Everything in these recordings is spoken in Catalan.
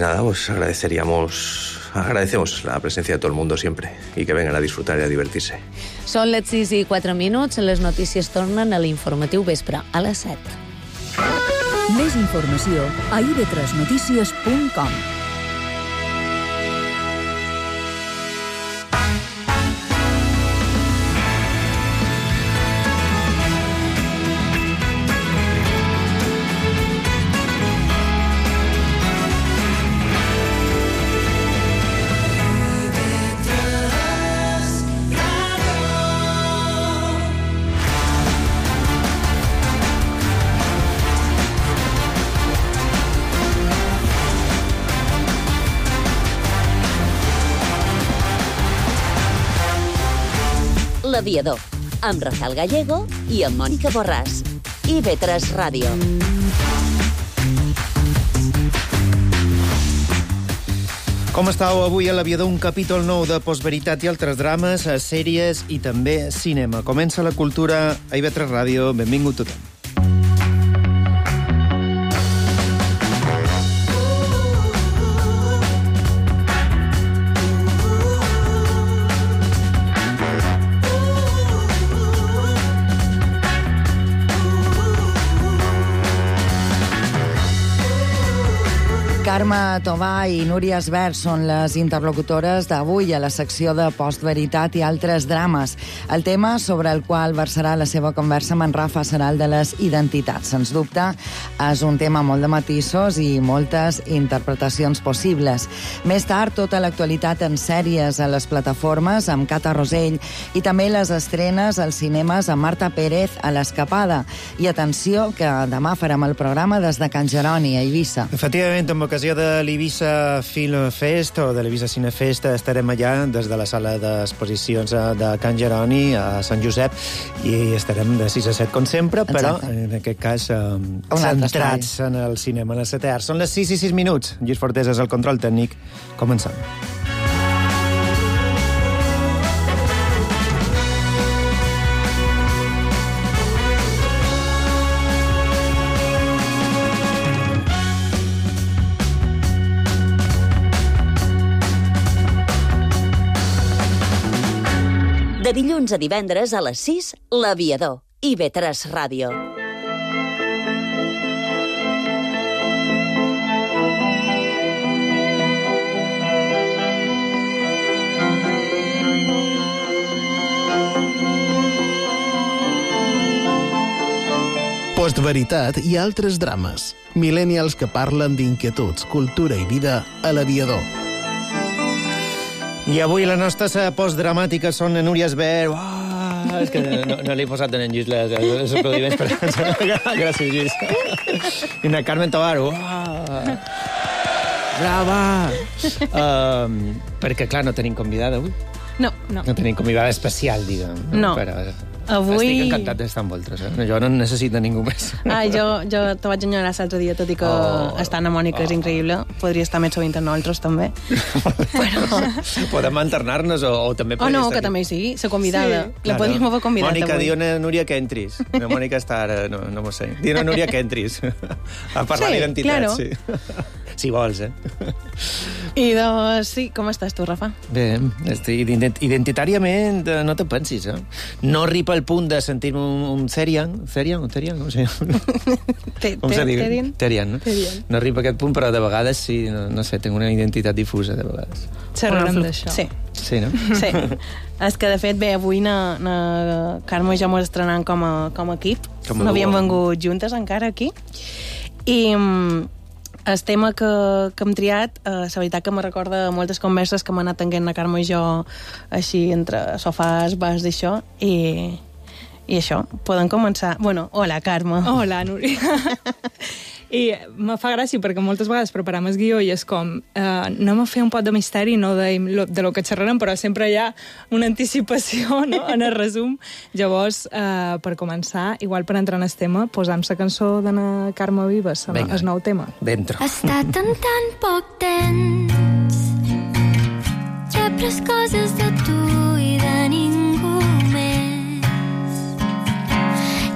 Nada, pues agradecemos la presencia de todo el mundo siempre y que vengan a disfrutar y a divertirse. Són les 6:04, les notícies tornen a l'informatiu vespre, a les 7. Més informació a ib3notícies.com. L'Aviador, amb Rafael Gallego i amb Mònica Borràs. IB3 Ràdio. Com estàu avui a l'Aviador? Un capítol nou de Postveritat i altres drames, sèries i també cinema. Comença la cultura a IB3 Ràdio. Benvingut tothom. Carme Tobà i Núria Esbert són les interlocutores d'avui a la secció de Postveritat i altres drames. El tema sobre el qual versarà la seva conversa amb en Rafa serà el de les identitats. Sens dubte, és un tema molt de matisos i moltes interpretacions possibles. Més tard, tota l'actualitat en sèries a les plataformes amb Cata Rosell i també les estrenes als cinemes amb Marta Pérez a l'Escapada. I atenció, que demà farem el programa des de Can Jeroni, a Eivissa. Efectivament, amb ocasió de l'Eivissa Film Fest o de l'Eivissa Cinefest estarem allà des de la sala d'exposicions de Can Jeroni a Sant Josep i estarem de 6 a 7 com sempre, però en aquest cas centrats en el cinema, en el setè art. Són les 6 i 6 minuts. Lluís Fortés és el control tècnic. Comencem. De dilluns a divendres a les 6, l'Aviador, IB3 Ràdio. Postveritat i altres drames. Millennials que parlen d'inquietuds, cultura i vida a l'Aviador. I avui les nostres postdramàtiques són Núria Esbert. És que no li he posat en Lluís els aplaudiments. Gràcies, Lluís. I una Carmen Tobar. Brava! Perquè, clar, no tenim convidada avui. No. No tenim convidada especial, diguem. No. Però avui... estic encantat d'estar amb vosaltres. Jo no necessito ningú més. Jo te vaig enyorar l'altre dia, tot i que estar amb Mònica és increïble. Podria estar més sovint amb nosaltres, també. Però... Podem alternar-nos o també... no, que també sí, la convidada. Sí. La podríem haver convidat Mònica, avui. diu a Núria que entris. La Mònica està ara, no m'ho sé. Diu a Núria que entris. A parlar d'identitat, claro. Sí. Si vols, I doncs, sí, com estàs tu, Rafa? Bé, identitàriament no te pensis, No arriba al punt de sentir-me un Therian, com se diu? Therian, no? No arriba a aquest punt, però de vegades sí, no sé, tinc una identitat difusa, de vegades. Xerrarem d'això. Sí, no? Sí. És que, de fet, bé, avui na Carme i jo m'ho estrenant com a equip. No havíem vengut juntes encara aquí. I... el tema que hem triat, la veritat que me recorda moltes converses que m'ha anat tenint la Carme i jo així entre sofàs, bars d'això, i això, podem començar. Bueno, hola, Carme. Hola, Núria. I me fa gràcia perquè moltes vegades preparam el guió i és com anem a fer un pot de misteri, no de lo que xerrarem, però sempre hi ha una anticipació, no?, en el resum. Llavors, per començar, igual per entrar en el tema, posam la cançó d'Anna Carme Vives, el nou tema. Dentro. Ha estat en tan poc temps, ja he pres coses de tu i de ningú més.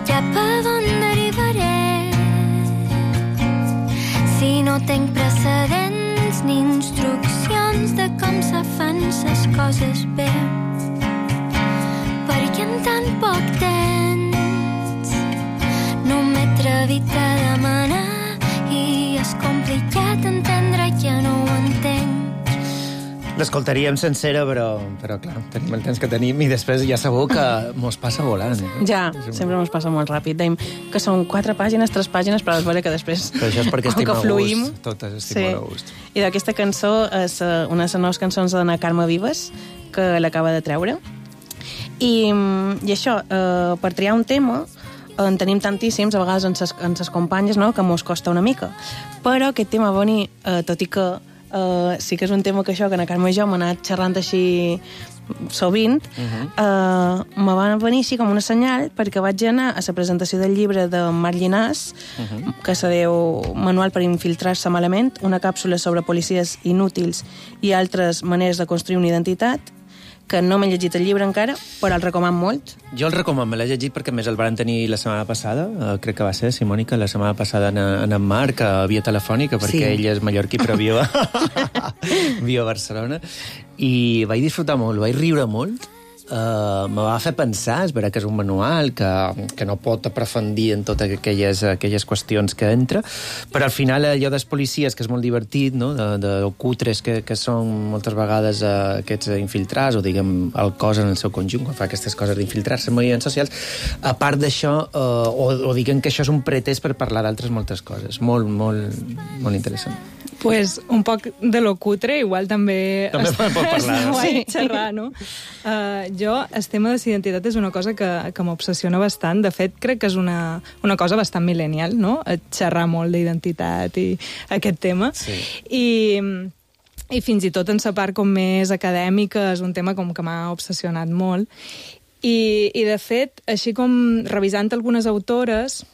Cap a on derivaré si no tenc precedents coses bé, perquè en tan poc temps no m'he atrevit a demanar i és complicat entendre que no ho entenc. L'escoltaríem sencera, però clar, tenim el temps que tenim i després ja sabeu que mos passa volant. Ja, sempre mos passa molt ràpid. Deim que són 4 pàgines, 3 pàgines, però és vera que després... Però això és perquè estim a gust. Totes estim a gust. I d'aquesta cançó és una de les noves cançons de la Carme Vives, que l'acaba de treure. I això, per triar un tema, en tenim tantíssims, a vegades en ses companyes, no?, que mos costa una mica. Però aquest tema va venir, tot i que sí que és un tema que la Carme i jo m'ha anat xerrant així sovint, me va venir així com una senyal perquè vaig anar a la presentació del llibre de Marc Llinàs, que se diu Manual per infiltrar-se malament, una càpsula sobre policies inútils i altres maneres de construir una identitat, que no m'he llegit el llibre encara, però el recoman molt. Jo el recoman, me l'he llegit perquè més el van tenir la setmana passada, crec que va ser, Simònica, la setmana passada en Marc, a via telefònica, perquè ell és mallorquí, però viu a Barcelona, i vaig disfrutar molt, vaig riure molt. Me va fer pensar, és veritat que és un manual que no pot aprofundir en totes aquelles qüestions que entra, però al final allò dels policies, que és molt divertit, no? de cutres que són moltes vegades aquests infiltrats, o diguem el cos en el seu conjunt, quan fa aquestes coses d'infiltrar-se en moviments socials, a part d'això, o diguem que això és un pretest per parlar d'altres moltes coses. Molt, molt, molt interessant. Pues un poc de lo cutre, igual també... També pot parlar, no? Sí. Xerrar, no? Jo, el tema de l'identitat és una cosa que m'obsessiona bastant. De fet, crec que és una cosa bastant millennial, no? Xerrar molt d'identitat i aquest tema. Sí. I fins i tot en la part com més acadèmica és un tema com que m'ha obsessionat molt. I de fet, així com revisant algunes autores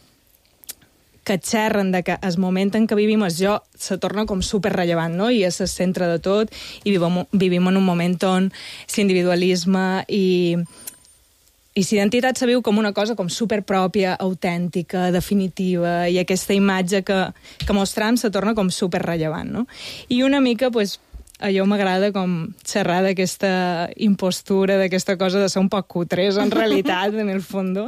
que xerren de que el moment en què vivim jo se torna com superrellevant, no? I és el centre de tot, i vivim en un moment on l'individualisme i l'identitat se viu com una cosa com superpròpia, autèntica, definitiva, i aquesta imatge que mostrem se torna com superrellevant, no? I una mica, doncs, allò m'agrada com xerrar d'aquesta impostura, d'aquesta cosa de ser un poc cutres, en realitat, en el fons.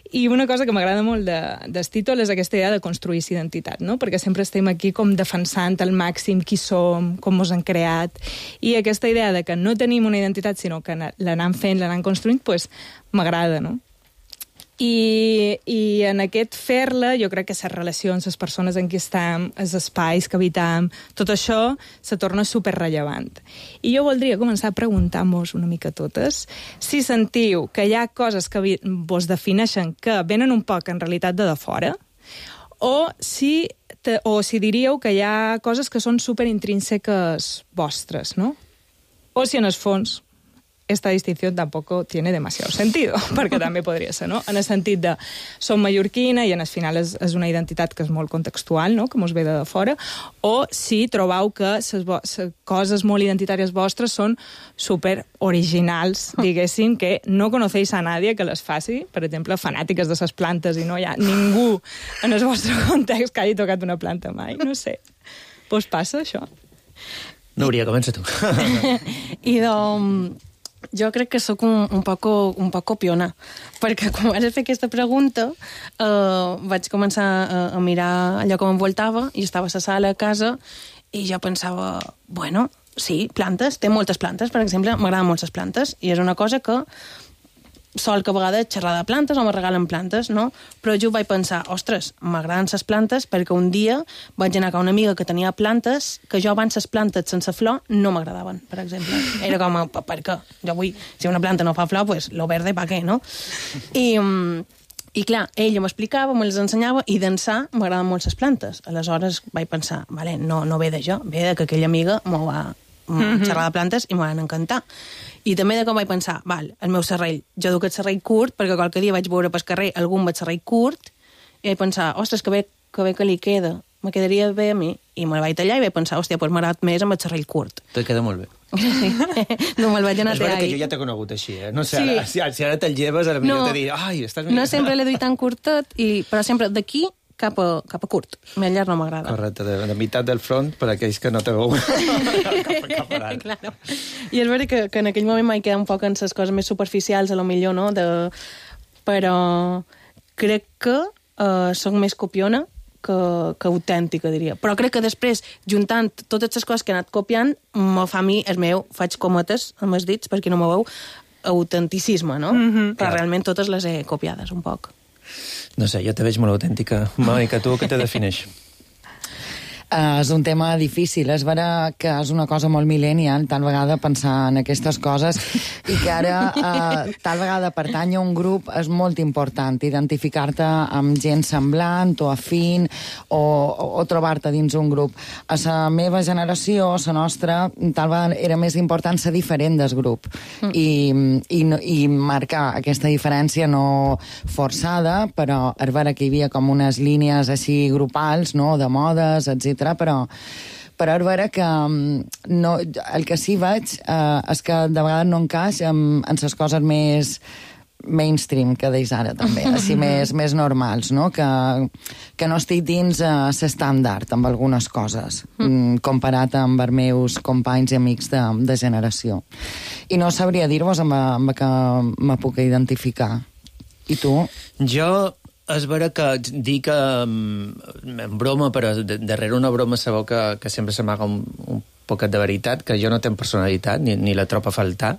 I una cosa que m'agrada molt del títol és aquesta idea de construir identitat, no? Perquè sempre estem aquí com defensant al màxim qui som, com ens han creat, i aquesta idea de que no tenim una identitat, sinó que l'anem fent, l'anem construint, doncs m'agrada, no? I en aquest fer-la, jo crec que les relacions, les persones en qui estem, els espais que habitam, tot això se torna superrellevant. I jo voldria començar a preguntar-vos una mica totes si sentiu que hi ha coses que vos defineixen que venen un poc en realitat de fora, o si diríeu que hi ha coses que són superintrínseques vostres, no? O si en el fons esta distinción tampoco tiene demasiado sentido, perquè també podria ser, no? En el sentit de som mallorquina i en el final és una identitat que és molt contextual, no? Que mos ve de fora, o si trobeu que les coses molt identitàries vostres són super originals, diguéssim, que no conocéis a nadie que les faci, per exemple, fanàtiques de les plantes, i no hi ha ningú en el vostre context que hagi tocat una planta mai, no sé. Vos passa, això? Núria, comença tu. I jo crec que sóc un poc copiona, perquè quan vaig fer aquesta pregunta vaig començar a mirar allò que m'envoltava i estava a la sala a casa i jo pensava, bueno, sí, plantes, té moltes plantes, per exemple, m'agraden molt les plantes i és una cosa que sol que a vegades xerrar de plantes o me regalen plantes, no? Però jo vaig pensar, ostres, m'agraden les plantes perquè un dia vaig anar a una amiga que tenia plantes que jo abans les plantes sense flor no m'agradaven, per exemple. Era com, per què? Jo vull, si una planta no fa flor, pues lo verde, pa què, no? I clar, ella m'explicava, me les ensenyava, i d'ençà m'agraden molt les plantes. Aleshores vaig pensar, vale, no ve de jo, ve de que aquella amiga m'ho va xerrar de plantes i m'ho van encantar. I també de com vaig pensar, val, el meu serrell, jo duc el serrell curt, perquè qualque dia vaig veure pel carrer algú amb el serrell curt, i vaig pensar, ostres, que bé que li queda, me quedaria bé a mi, i me'l vaig tallar i vaig pensar, hòstia, doncs m'ha agradat més amb el serrell curt. Te queda molt bé. Sí, no me'l vaig anar a tallar. És veritat que jo ja t'he conegut així, eh? No sé, sí. Si ara te'l lleves, potser te diré, ai, estàs... No sempre l'he duit tan curtet, però sempre d'aquí cap a curt. Més llarg no m'agrada. Correcte, de meitat del front per aquells que no te veuen. Claro. I és veritat que en aquell moment m'he quedat un poc en les coses més superficials, a lo millor, no? Però crec que soc més copiona que autèntica, diria. Però crec que després, juntant totes les coses que he anat copiant, me fa a mi, el meu, faig cometes amb els dits, perquè no me veu, autenticisme, no? Però realment totes les he copiades, un poc. No sé, jo te veig molt autèntica. Mònica, tu què te defineix? És un tema difícil. És vera que és una cosa molt millennial, tal vegada pensar en aquestes coses, i que ara tal vegada pertany a un grup és molt important, identificar-te amb gent semblant o afín o trobar-te dins un grup. A la meva generació, a la nostra, tal vegada era més important ser diferent del grup i marcar aquesta diferència no forçada, però és vera que hi havia com unes línies així grupals, no?, de modes, etc. Però és vera que el que sí veig és que de vegades no encaix en les coses més mainstream que deis ara, també, així més normals, no? Que no estic dins l'estàndard amb algunes coses, comparat amb els meus companys i amics de generació. I no sabria dir-vos amb què me puc identificar. I tu? Jo... És vera que dic en broma, però darrere una broma sabeu que sempre s'amaga un poquet de veritat, que jo no tenc personalitat, ni la trobo a faltar,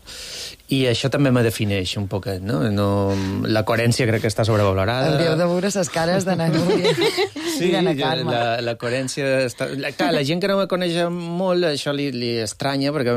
i això també me defineix un poquet, no? La coherència crec que està sobrevalorada. Hauríeu de veure les cares de na Núria i de na Carme. La coherència està... Clar, la gent que no me coneix molt, això li estranya, perquè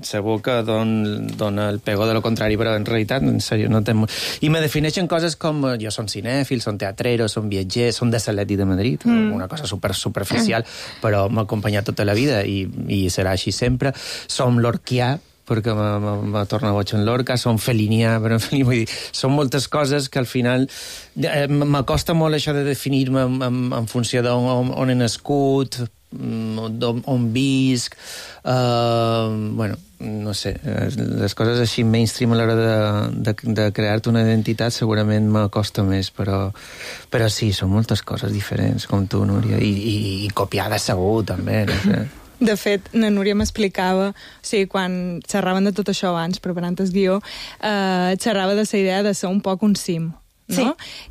segur que dona el pego de lo contrari, però en realitat, en sèrio, no té molt... I me defineixen coses com jo som cinèfil, som teatrero, som viatger, som de l'Atlètic de Madrid, una cosa superficial, però m'ha acompanyat tota la vida i serà així sempre. Som lorquià, perquè m'ha tornat boig en Lorca, som felinià, però vull dir, són moltes coses que al final m'acosta molt això de definir-me en funció d'on he nascut, on visc, bueno, no sé, les coses així mainstream a l'hora de crear-te una identitat segurament m'acosta més, però sí, són moltes coses diferents, com tu, Núria, i copiades segur, també, no sé. De fet, na Núria m'explicava, o sigui, quan xerraven de tot això abans, preparant el guió, xerrava de la idea de ser un poc un sim, no? Sí.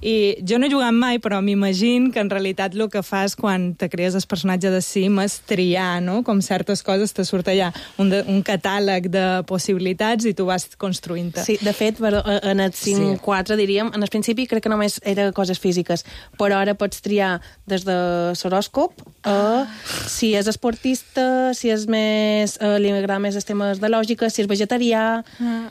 I jo no he jugat mai, però m'imagino que en realitat el que fas quan te crees el personatge de sim és triar, no? Com certes coses te surt allà un catàleg de possibilitats i tu vas construint-te. Sí, de fet, en el sim 4, diríem, en el principi crec que només era coses físiques, però ara pots triar des de l'horòscop a si és esportista, si és més... li agrada més els temes de lògica, si és vegetarià,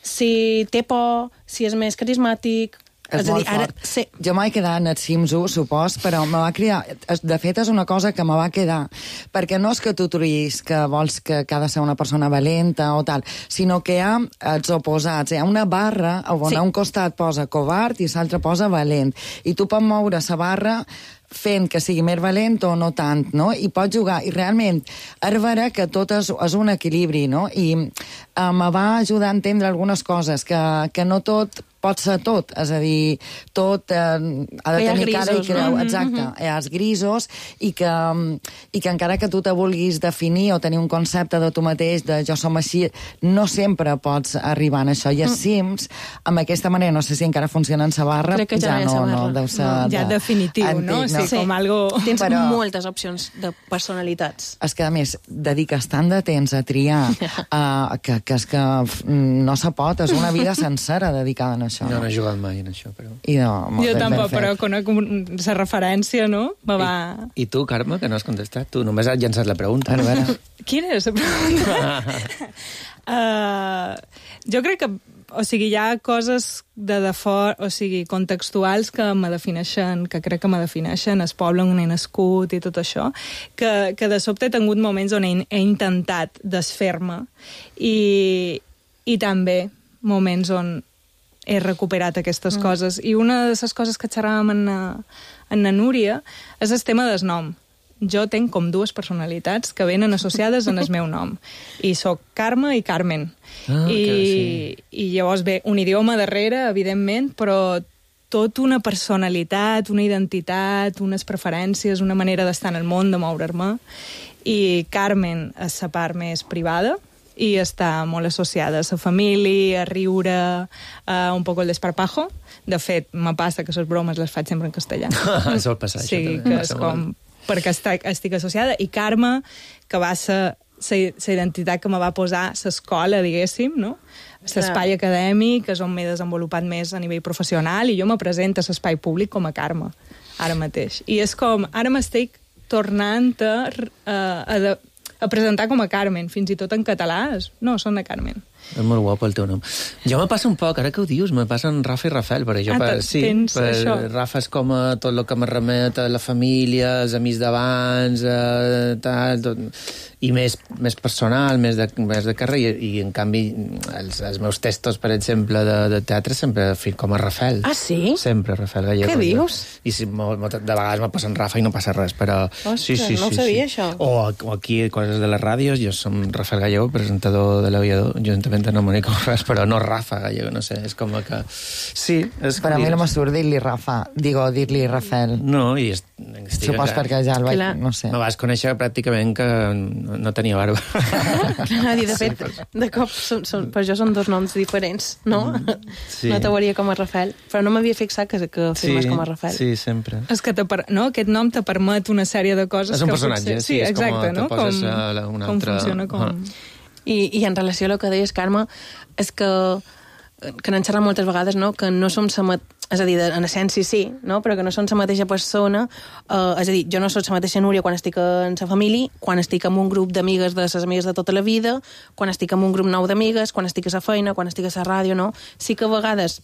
si té por, si és més carismàtic... És molt fort. Sí. Jo m'he quedat en el Sims 1, supos, però me va cridar... De fet, és una cosa que me va quedar. Perquè no és que tu triïs que vols que ha de ser una persona valenta o tal, sinó que hi ha els oposats. Hi ha una barra on a un costat posa covard i l'altre posa valent. I tu pots moure la barra fent que sigui més valent o no tant, no? I pots jugar. I realment, és vera que tot és un equilibri, no? I me va ajudar a entendre algunes coses, que no tot pot ser tot, és a dir, tot ha de tenir cara i creu, exacte, hi ha els grisos, i que encara que tu te vulguis definir o tenir un concepte de tu mateix, de jo som així, no sempre pots arribar a això. I els Sims, amb aquesta manera, no sé si encara funciona en sa barra, ja no deu ser... Ja definitiu, antic, no? Sí, com algo... Tens moltes opcions de personalitats. És que, a més, dediques tant de temps a triar que és que no se pot, és una vida sencera dedicada a això. No he jugat mai en això, però... Jo tampoc, però conec la referència, no? I tu, Carme, que no has contestat? Tu només has llançat la pregunta. A veure. Quina és la pregunta? Jo crec que, o sigui, hi ha coses de fora, o sigui, contextuals que me defineixen, que crec que me defineixen, el poble on he nascut i tot això, que de sobte he tingut moments on he intentat desfer-me i també moments on he recuperat aquestes coses. I una de les coses que xerràvem en la Núria és el tema del nom. Jo tenc com dues personalitats que venen associades en el meu nom. I sóc Carme i Carmen. I llavors ve un idioma darrere, evidentment, però tot una personalitat, una identitat, unes preferències, una manera d'estar en el món, de moure'm. I Carmen és la part més privada, i està molt associada a la família, a riure, a un poc el desparpajo. De fet, me passa que les bromes les faig sempre en castellà. Sol passar, sí, això també. que és com... perquè estic associada. I Carme, que va ser la identitat que me va posar l'escola, diguéssim, no? L'espai acadèmic, és on m'he desenvolupat més a nivell professional, i jo me presento a l'espai públic com a Carme, ara mateix. I és com... Ara m'estic tornant a presentar com a Carmen, fins i tot en català. No, són de Carmen. És molt guapo el teu nom. Jo me passa un poc, ara que ho dius, me passen Rafa i Rafael, perquè jo Rafa és com tot el que me remet a la família, els amics d'abans, tal, tot, i més personal, més de carrer, i en canvi els meus textos, per exemple, de teatre sempre fico com a Rafael. Ah, sí? Sempre Rafael Gallego. Què dius? I de vegades me passen Rafa i no passa res, però... Ostres, no ho sabia, això. O aquí, coses de les ràdios, jo som Rafael Gallego, presentador de l'Aviador, juntament no Mònica Borràs, però no Rafa Gallego, no sé, és com que... Sí, és per a mi no m'assurt dir-li Rafa, dir-li Rafael. No, i... Supos perquè ja el vaig... No sé. Me vas conèixer pràcticament que no tenia barba. Clar, de fet, de cop per jo són dos noms diferents, no? Sí. No t'hauria com a Rafael, però no m'havia fixat que firmes com a Rafael. Sí, sempre. És que aquest nom te permet una sèrie de coses... És un personatge, potser... Sí, exacte, no? Te poses un altre... Com funciona, com... I en relació a el que deies, Carme, és que n'hem xerrat moltes vegades, no? Que no som és a dir, en essència sí, no? Però que no som la mateixa persona, és a dir, jo no soc la mateixa Núria quan estic en la família, quan estic en un grup d'amigues de les amigues de tota la vida, quan estic en un grup nou d'amigues, quan estic a la feina, quan estic a la ràdio, no? Sí que a vegades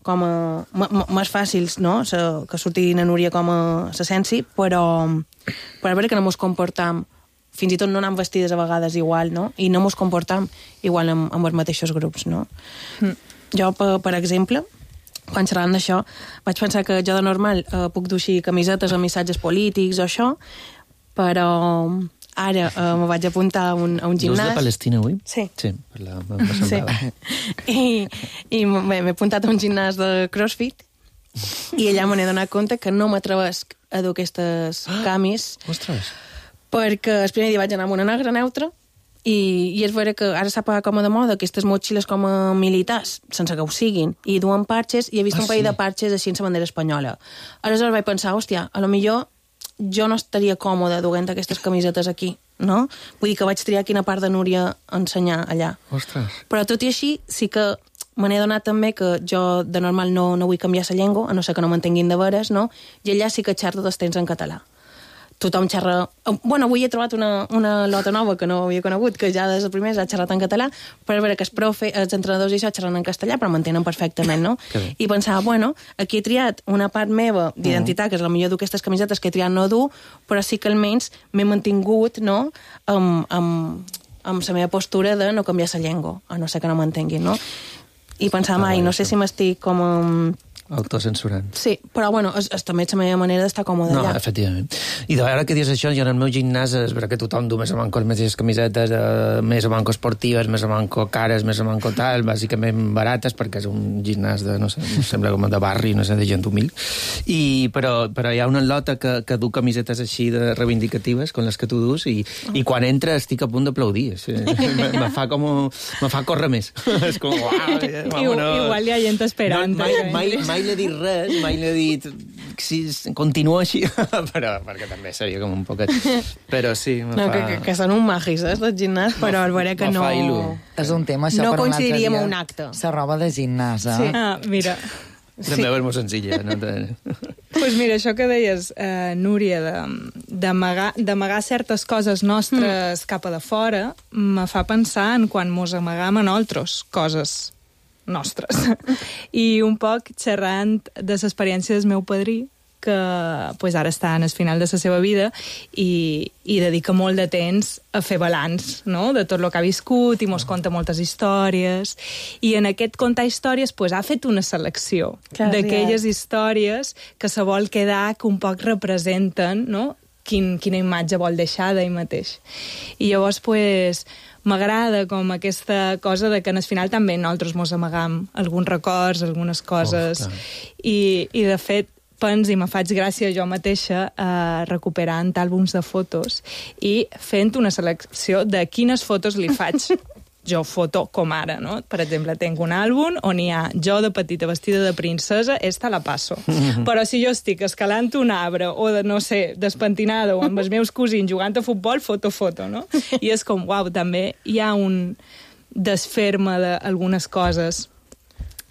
com més fàcils, no? Que surti na Núria com a l'essència, però a veure que no mos comportam, fins i tot no anem vestides a vegades igual, no? I no mos comportam igual amb els mateixos grups, no? Jo, per exemple, quan xerràvem d'això, vaig pensar que jo de normal puc dur així camisetes amb missatges polítics o això, però ara me vaig apuntar a un gimnàs... Dus de Palestina avui? Sí. Sí, I m'he apuntat a un gimnàs de CrossFit i allà me n'he donat compte que no m'atrevesc a dur aquestes camis. Ostres! Perquè el primer dia vaig anar amb una negra neutra i és vera que ara s'ha pagat com a de moda aquestes motxilles com a militars, sense que ho siguin, i duen parxes, i he vist un parell de parxes així en la bandera espanyola. Aleshores vaig pensar, hòstia, a lo millor jo no estaria còmoda duent aquestes camisetes aquí, no? Vull dir que vaig triar quina part de Núria ensenyar allà. Ostres! Però tot i així, sí que me n'he donat també que jo de normal no vull canviar la llengua, a no ser que no m'entenguin de veres, no? I allà sí que xerro dels temps en català. Tothom xerra... Bueno, avui he trobat una lota nova que no havia conegut, que ja des del primer ha xerrat en català, però veure que els entrenadors i això xerren en castellà, però m'entenen perfectament, no? I pensava, bueno, aquí he triat una part meva d'identitat, que és la millor d'aquestes camisetes que he triat no dur, però sí que almenys m'he mantingut, no?, amb la meva postura de no canviar la llengua, a no ser que no m'entenguin, no? I pensava, no sé si m'estic com... Autocensurant. Sí, però bueno, és també la meva manera d'estar còmode allà. No, efectivament. I de veure que dius això, jo en el meu gimnàs és vera que tothom du més o manco les mateixes camisetes, més o manco esportives, més o manco cares, més o manco tal, bàsicament barates, perquè és un gimnàs de, no sé, sembla com de barri, no sé, de gent humil. Però hi ha una lota que du camisetes així de reivindicatives, com les que tu dus, i quan entra estic a punt d'aplaudir. Me fa córrer més. És com, uau, vámonos. Igual hi ha gent esperant. Mai l'he dit res, mai l'he dit si continua així, però perquè també seria com un poquet... Però sí, que són un magis, del gimnàs, però al veure que no... És un tema, això, no per un altre dia. coincidiríem a un acte. La roba de gimnàs, Sí. Mira... També és molt senzilla. Pues mira, això que deies, Núria, d'amagar certes coses nostres cap a de fora, me fa pensar en quan mos amagam a nosaltres coses nostres. I un poc xerrant de l'experiència del meu padrí, que pues, ara està en el final de la seva vida i dedica molt de temps a fer balanç, no?, de tot el que ha viscut, i mos conta moltes històries. I en aquest contar històries pues, ha fet una selecció d'aquelles històries que se vol quedar, que un poc representen, no?, quina imatge vol deixar d'ell mateix. I llavors, pues m'agrada com aquesta cosa de que al final també nosaltres mos amagam alguns records, algunes coses, i de fet pens i me faig gràcia jo mateixa recuperant àlbums de fotos i fent una selecció de quines fotos li faig jo foto com ara, no? Per exemple, tinc un àlbum on hi ha jo de petita vestida de princesa, esta la passo. Però si jo estic escalant un arbre o, no sé, despentinada o amb els meus cosins jugant a futbol, foto, no? I és com, uau, també hi ha un desfer-me d'algunes coses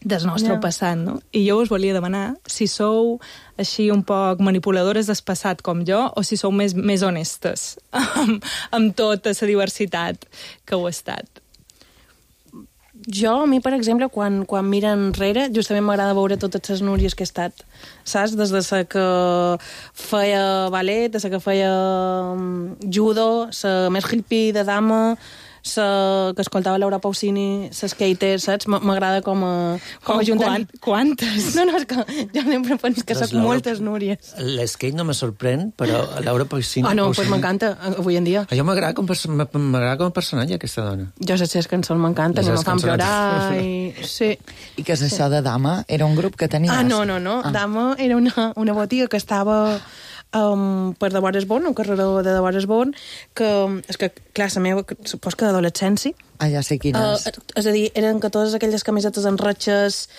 del nostre passat, no? I jo us volia demanar si sou així un poc manipuladores del passat com jo o si sou més honestes amb tota la diversitat que heu estat. Jo, a mi, per exemple, quan mira enrere, justament m'agrada veure totes les Núries que he estat, saps? Des de la que feia ballet, des de la que feia judo, la més hippie de dama, que escoltava Laura Pausini, la skater, saps? M'agrada com a juntar... Quantes? No, és que jo sempre penso que soc moltes Núries. L'skate no me sorprèn, però Laura Pausini... no, doncs m'encanta, avui en dia. Jo m'agrada com a personatge, aquesta dona. Jo sé les cançons m'encanten, i me fan plorar, i... Sí. I què és això de Dama? Era un grup que tenies? No. Dama era una botiga que estava... per de Boris Born, un carreró de Boris Born, que és que, clar, la meva, supos que d'adolescència. Ja sé quina és. És a dir, eren que totes aquelles camisetes en ratxes,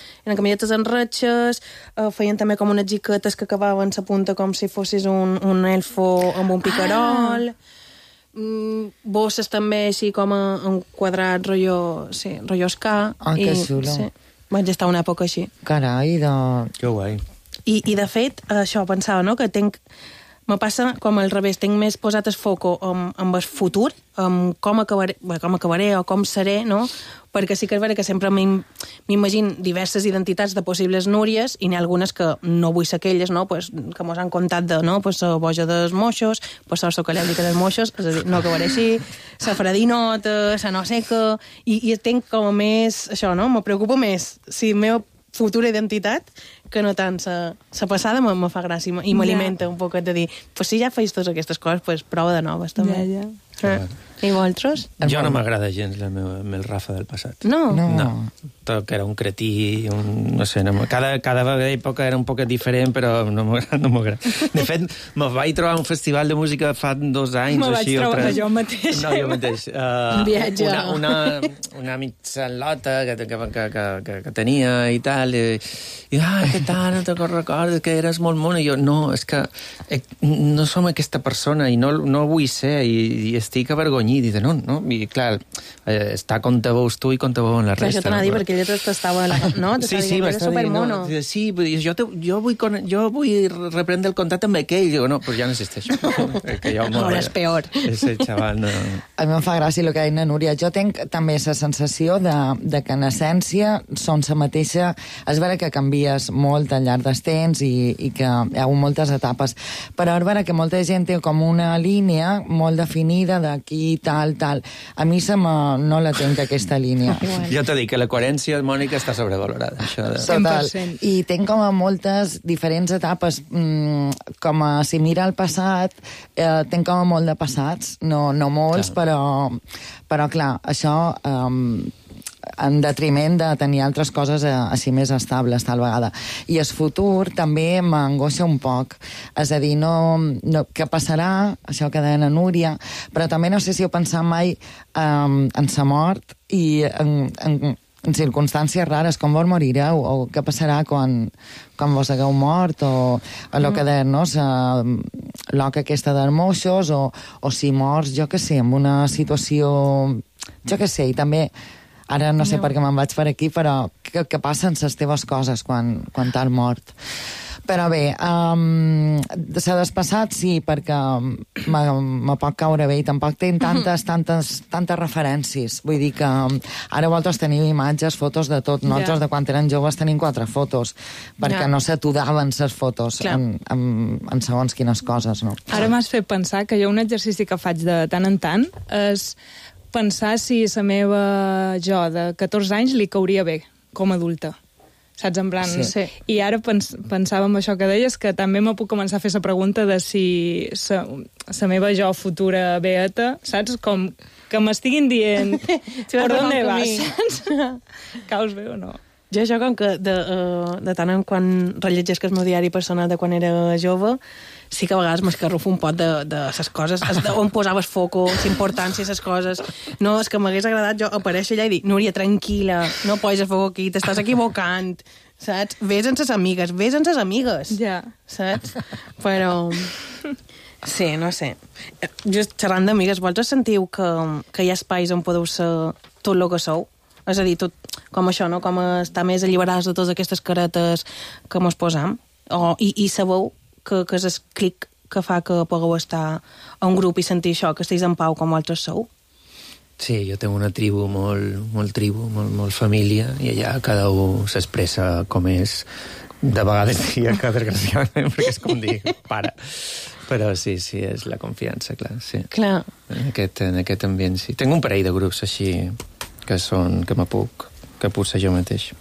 feien també com unes jiquetes que acabaven la punta com si fossis un elfo amb un picarol, bosses també així com en quadrat, rotllo ska. Que xulo. Sí, vaig estar una època així. Carai, Que guai. I de fet, això pensava, no?, que me passa com al revés, tinc més posat el foco amb el futur, amb com acabaré o com seré, no?, perquè sí que és vera que sempre m'imagino diverses identitats de possibles Núries i n'hi ha algunes que no vull ser aquelles, no?, pues, que mos han contat de, no?, pues, la boja dels moixos, pues, la socalèbrica dels moixos, és a dir, no acabaré així, la fredinota, la no sé què, i tinc com més, això, no?, me preocupa més si la meva futura identitat que no tant la passada me fa gràcia i m'alimenta un poc de dir, pues si ja feis totes aquestes coses, pues prova de noves també. I vosaltres? Jo no m'agrada gens el Rafa del passat. No? Tot que era un cretí, no sé, cada època era un poc diferent, però no m'agrada. De fet, me vaig trobar un festival de música fa 2 anys. Me vaig trobar jo mateix. No, jo mateix. Un viatge. Una mitjanlota que tenia i tal, i què tal, no te'n recordes que eres molt mona? I jo, no, és que no som aquesta persona i no vull ser, i estic avergonyit, i de no, i clar, està com te veus tu i com te veuen la resta. Això t'anava a dir, perquè ella t'estava... No? Sí, m'estava dient, sí, jo vull reprendre el contacte amb aquell, digo, no, pues ja no existeixo. Ahora és peor. Ese xaval, no... A mi em fa gràcia el que deia Núria. Jo tinc també la sensació de que en essència són la mateixa... És vera que canvies molt al llarg dels temps i que hi ha hagut moltes etapes, però és vera que molta gent té com una línia molt definida d'aquí, tal. A mi no la tinc, aquesta línia. Jo t'ho dic, que la coherència, Mònica, està sobrevalorada. Això de... 100%. I tinc com a moltes diferents etapes, com a si mira el passat, tinc com a molt de passats, no molts, però clar, això... en detriment de tenir altres coses així més estables, tal vegada. I el futur també m'angoixa un poc. És a dir, què passarà, això que deia Núria, però també no sé si heu pensat mai en sa mort i en circumstàncies rares, com vos morireu, o què passarà quan vos hagueu mort, o el que deia, no?, l'oca aquesta dels moixos, o si mors, jo què sé, en una situació... Jo què sé, i també... Ara no sé per què me'n vaig per aquí, però què passen les teves coses quan t'has mort? Però bé, s'ha despassat, sí, perquè me pot caure bé i tampoc tinc tantes referències. Vull dir que ara vosaltres teniu imatges, fotos de tot. Nosaltres, de quan eren joves, tenim 4 fotos, perquè no s'aturaven les fotos en segons quines coses, no? Ara m'has fet pensar que jo un exercici que faig de tant en tant és pensar si la meva jo de 14 anys li cauria bé com a adulta. saps, en plan... Sí. I ara pensava en això que deies, que també me puc començar a fer la pregunta de si la meva jo futura beata, saps, com que m'estiguin dient per on vas, saps? Caus bé o no? Jo això, com que de tant en quan rellegesc el meu diari personal de quan era jove, sí que a vegades m'escarrufo un pot de les coses, on posaves foco, l'importància de les coses. No, és que m'hagués agradat jo aparèixer allà i dir, Núria, tranquil·la, no posis el foco aquí, t'estàs equivocant, saps? Ves amb les amigues, Ja. saps? Però... Sí, no sé. Just xerrant d'amigues, vosaltres sentiu que hi ha espais on podeu ser tot el que sou? És a dir, tot com això, no? Com estar més alliberats de totes aquestes caretes que mos posam. I sabeu que és el clic que fa que pugueu estar a un grup i sentir això, que estiguis en pau com vosaltres sou? Sí, jo tinc una tribu molt família, i allà cada un s'expressa com és. De vegades diria que desgraciadament, perquè és com dir, para. Però sí, és la confiança, clar, sí. Clar. En aquest ambient, sí. Tinc un parell de grups així que puc ser jo mateix.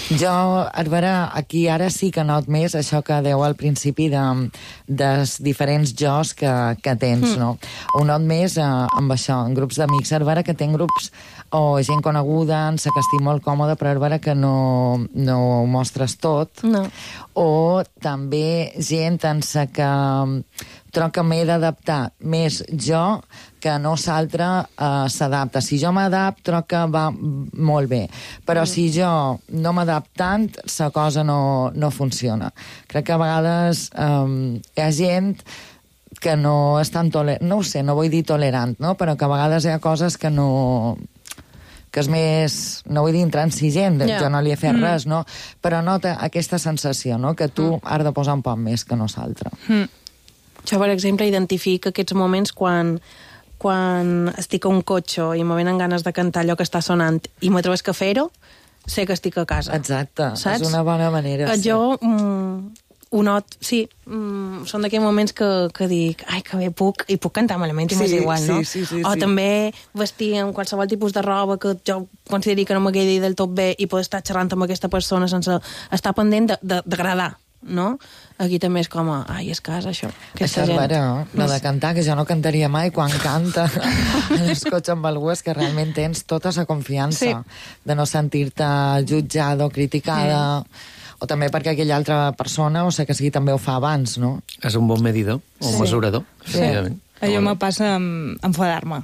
Jo, a veure, aquí ara sí que not més això que deu al principi dels diferents jos que tens, no? Ho not més amb això, en grups d'amics. A veure que tenc grups o gent coneguda, en sa que estic molt còmode, però a veure que no ho mostres tot. No. O també gent en sa que trobo que m'he d'adaptar més jo que no s'altre s'adapta. Si jo m'adapto, trobo que va molt bé. Però si jo no m'adapto tant, la cosa no funciona. Crec que a vegades hi ha gent que no és tan tolerant, no ho sé, no vull dir tolerant, no? Però que a vegades hi ha coses que que és més, no vull dir intransigent, jo no li he fet res, no? Però nota aquesta sensació, no? Que tu has de posar un poc més que no s'altre. Jo, per exemple, identifico aquests moments quan estic a un cotxe i me venen ganes de cantar allò que està sonant i m'atreves que fer-ho, sé que estic a casa. Exacte, saps? És una bona manera. Jo ho not, sí, són d'aquells moments que dic, ai, que bé puc, i puc cantar malament, i m'és igual, no? Sí, o també vestir amb qualsevol tipus de roba que jo consideri que no m'agradi del tot bé i poder estar xerrant amb aquesta persona sense estar pendent d'agradar, no? Aquí també és com, ai, és casa, això. Això és vera, no? De cantar, que jo no cantaria mai quan canta en el cotxe amb algú, és que realment tens tota la confiança de no sentir-te jutjada o criticada, o també perquè aquella altra persona, o sigui que sigui, també ho fa abans, no? És un bon medidor, o mesurador. Sí. Allò me passa amb enfadar-me.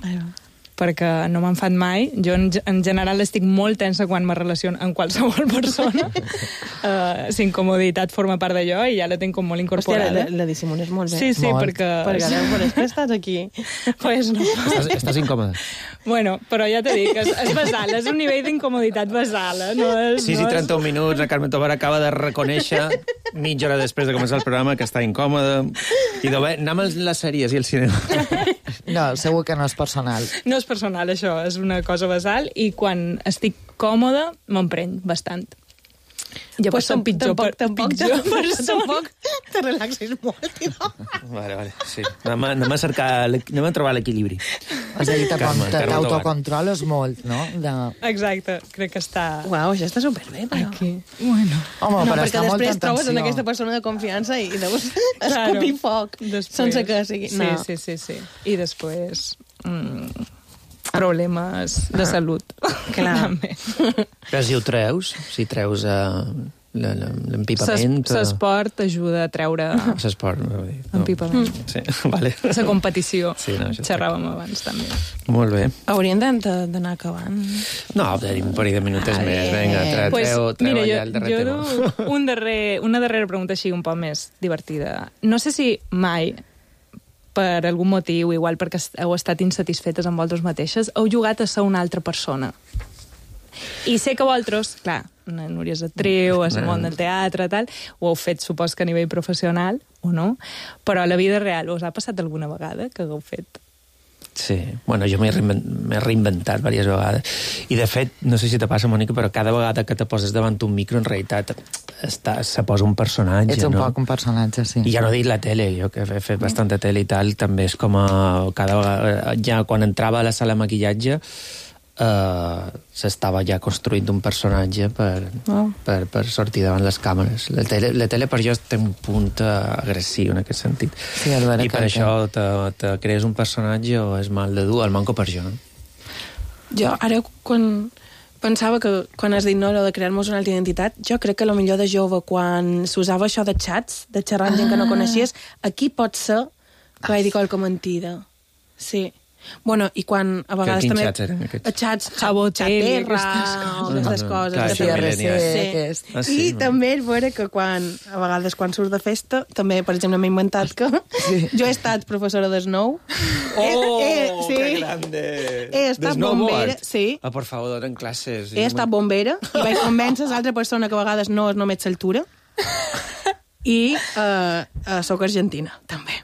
Perquè no m'enfad mai. Jo, en general, estic molt tensa quan me relaciono amb qualsevol persona. La incomoditat forma part d'allò i ja la tinc com molt incorporada. Hòstia, la dissimules molt bé. Sí, molt. perquè... Però és que estàs aquí. Pues no. Estàs incòmode. Bueno, però ja t'he dit que és basal, és un nivell d'incomoditat basal. No és, 6 i 31 minuts, la Carmen Tobar acaba de reconèixer, mitja hora després de començar el programa, que està incòmode. I de bé, anem a les sèries i al cinema. No, segur que no és personal. No és personal, això, és una cosa basal, i quan estic còmode m'empreny bastant. Jo pues soc pitjor tampoc te relaxis molt, no? Vale, sí. Anem a trobar l'equilibri. És a dir, t'autocontroles molt, no? Exacte, crec que està... Uau, això està superbé, però... Aquí. Bueno. Home, no, però perquè està molta després trobes en atenció. aquesta persona de confiança i deus escopir foc sense que sigui... Sí, no. sí. I després... problemes de salut. Clar. Però si ho treus, si treus l'empipament... L'esport ajuda a treure... L'esport, no. Empipament. Sí, vale. La competició. Sí, no, xerràvem abans, també. Molt bé. Hauríem d'anar acabant. No, tenim un parell de minutets més. Vinga, treu allà el darrer tema. Jo una darrera pregunta així un poc més divertida. No sé si mai, per algun motiu, igual perquè heu estat insatisfetes amb vosaltres mateixes, heu jugat a ser una altra persona. I sé que vosaltres, clar, una Núria és actriu, és el món del teatre, tal, ho heu fet, supos que a nivell professional, o no, però a la vida real us ha passat alguna vegada que hagueu fet? Sí, bueno, jo m'he reinventat diverses vegades. I, de fet, no sé si te passa, Mònica, però cada vegada que te poses davant un micro, en realitat, se posa un personatge, Ets un no? poc un personatge, sí. I ja no dic la tele, jo que he fet bastanta tele i tal, també és com a... cada vegada, ja quan entrava a la sala de maquillatge, s'estava ja construint un personatge per sortir davant les càmeres. La tele per jo té un punt agressiu en aquest sentit. Sí, i per això te crees un personatge o és mal de dur, el manco per jo. Jo ara quan pensava que quan has dit no, de crear-nos una altra identitat, jo crec que millor de jove, quan s'usava això de xats, de xerrar amb gent que no coneixies, aquí pot ser que vaig dir qualque mentida. Sí. Bueno, i quan a vegades també... Quins xats eren aquests? Xats, Xabotel, o aquestes coses. Sí. I també és vera que a vegades quan surts de festa, també, per exemple, m'he inventat que jo he estat professora de snow. Que grande! He estat bombera, sí. Per favor, donen classes. He estat bombera i vaig convèncer l'altra persona que a vegades no és només l'altura i soc argentina, també.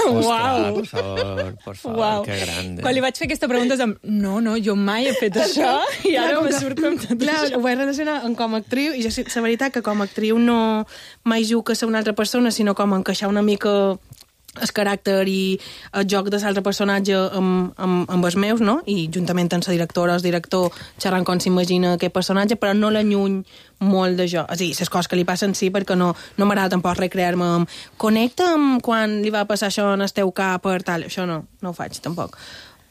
Uau! Per favor, que grande. Quan li vaig fer aquesta pregunta, no, jo mai he fet això, i ara me surt com tot clar, això. Ho vaig relacionar com a actriu, i la veritat que com a actriu no mai jugo a ser una altra persona, sinó com a encaixar una mica el caràcter i el joc de l'altre personatge amb els meus, no? I juntament amb la directora o el director xerrant com s'imagina aquest personatge, però no l'alluny molt de jo. És a dir, les coses que li passen sí, perquè no m'agrada tampoc recrear-me amb connecta amb quan li va passar això en el teu cap per tal. Això no ho faig, tampoc.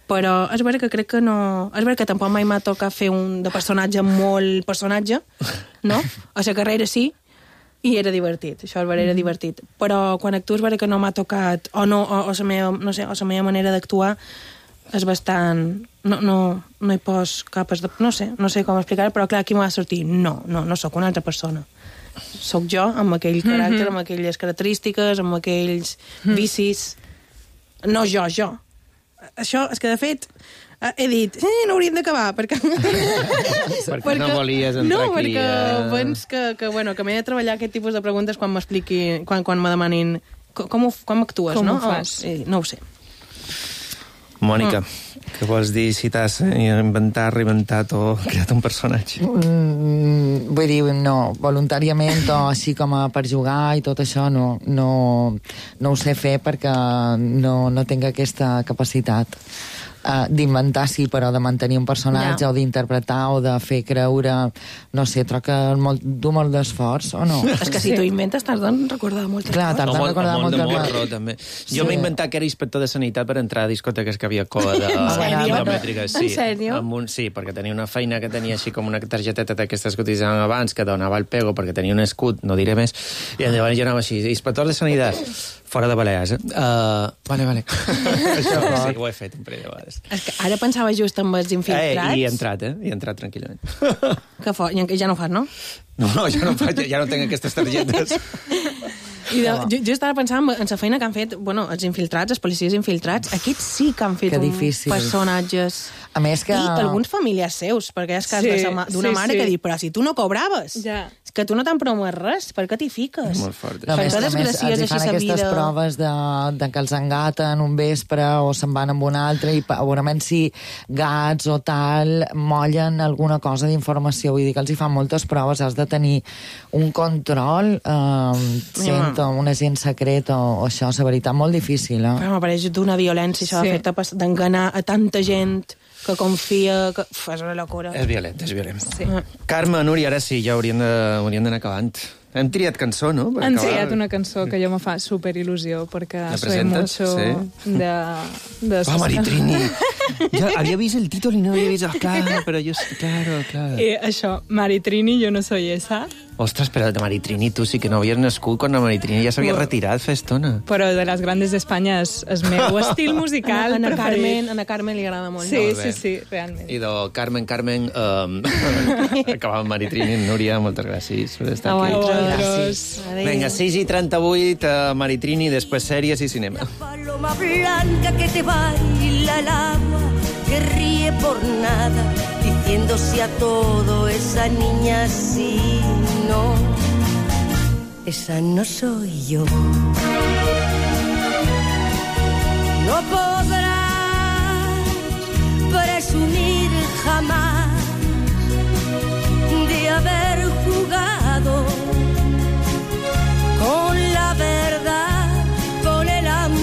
Però és vera que crec que no... És vera que tampoc mai m'ha tocat fer un de personatge molt personatge, no? A la carrera sí, i era divertit, això era divertit. Però quan actuo és vera que no m'ha tocat, o la meva manera d'actuar és bastant... No hi pos capes de... No sé com explicar-ho, però clar, aquí m'ha de sortir. No sóc una altra persona. Sóc jo, amb aquell caràcter, amb aquelles característiques, amb aquells vicis. No jo. Això és que, de fet, he dit, no hauríem d'acabar, perquè no volies entrar aquí. No, perquè pens que m'he de treballar aquest tipus de preguntes quan m'expliqui, quan me demanin com actues, com no? Com ho fas? No ho sé. Mònica, què vols dir si t'has inventat, reinventat o creat un personatge? Vull dir, no, voluntàriament o així com per jugar i tot això no ho sé fer perquè no tinc aquesta capacitat. D'inventar sí, però de mantenir un personatge o d'interpretar o de fer creure, no sé, troc que du molt d'esforç, o no? És que si tu inventes t'has de recordar moltes coses. Clar, t'has de recordar moltes coses. Molt de morro, també. Jo m'he inventat que era inspector de sanitat per entrar a discoteques que havia cova de biometríques. En sèrio? Sí, perquè tenia una feina que tenia així com una targeteta d'aquestes que utilitzaven abans, que donava el pego perquè tenia un escut, no diré més, i llavors jo anava així, inspector de sanitat, fora de Balears. Vale. Això sí, ho he fet un parell de vegades. És que ara pensava just amb els infiltrats. I he entrat tranquil·lament. Que fort, ja no ho fas, no? No, ja no tinc aquestes targetes. Jo estava pensant en la feina que han fet, els infiltrats, els policies infiltrats, aquests sí que han fet personatges. A més que... I alguns familiars seus, perquè és cas d'una mare que diu, però si tu no cobraves, que tu no t'han promès res, per què t'hi fiques? Molt fort. A més, els fan aquestes proves de que els engaten un vespre o se'n van amb un altre i segurament si gats o tal mollen alguna cosa d'informació. Vull dir que els hi fan moltes proves, has de tenir un control, un agent secret o això, és la veritat, molt difícil. Però m'apareix d'una violència, això de fer-te d'enganar a tanta gent que confia... és una locura. És violent. Sí. Carme, Núria, ara sí, ja hauríem d'anar acabant. Hem triat cançó, no? Han triat una cançó que jo me fa superil·lusió, perquè soy mucho de... Maritrini! Jo havia vist el títol i no havia vist... Claro, però jo... Claro. I això, Maritrini, yo no soy esa. Ostres, però de Maritrini tu sí que no havies nascut quan la Maritrini ja s'havia retirat fa estona. Però de les grandes d'Espanya és meu estil musical preferit. Ana Carmen li agrada molt. Sí, realment. I de Carmen, acabava amb Maritrini. Núria, moltes gràcies per estar aquí. Gràcies. Venga, 6:38, Maritrini, després sèries i cinema. La paloma blanca que te baila el agua, que ríe por nada, diciéndose a todo, esa niña sí, no, esa no soy yo. No podrás presumir jamás de haber jugado con la verdad, con el amor.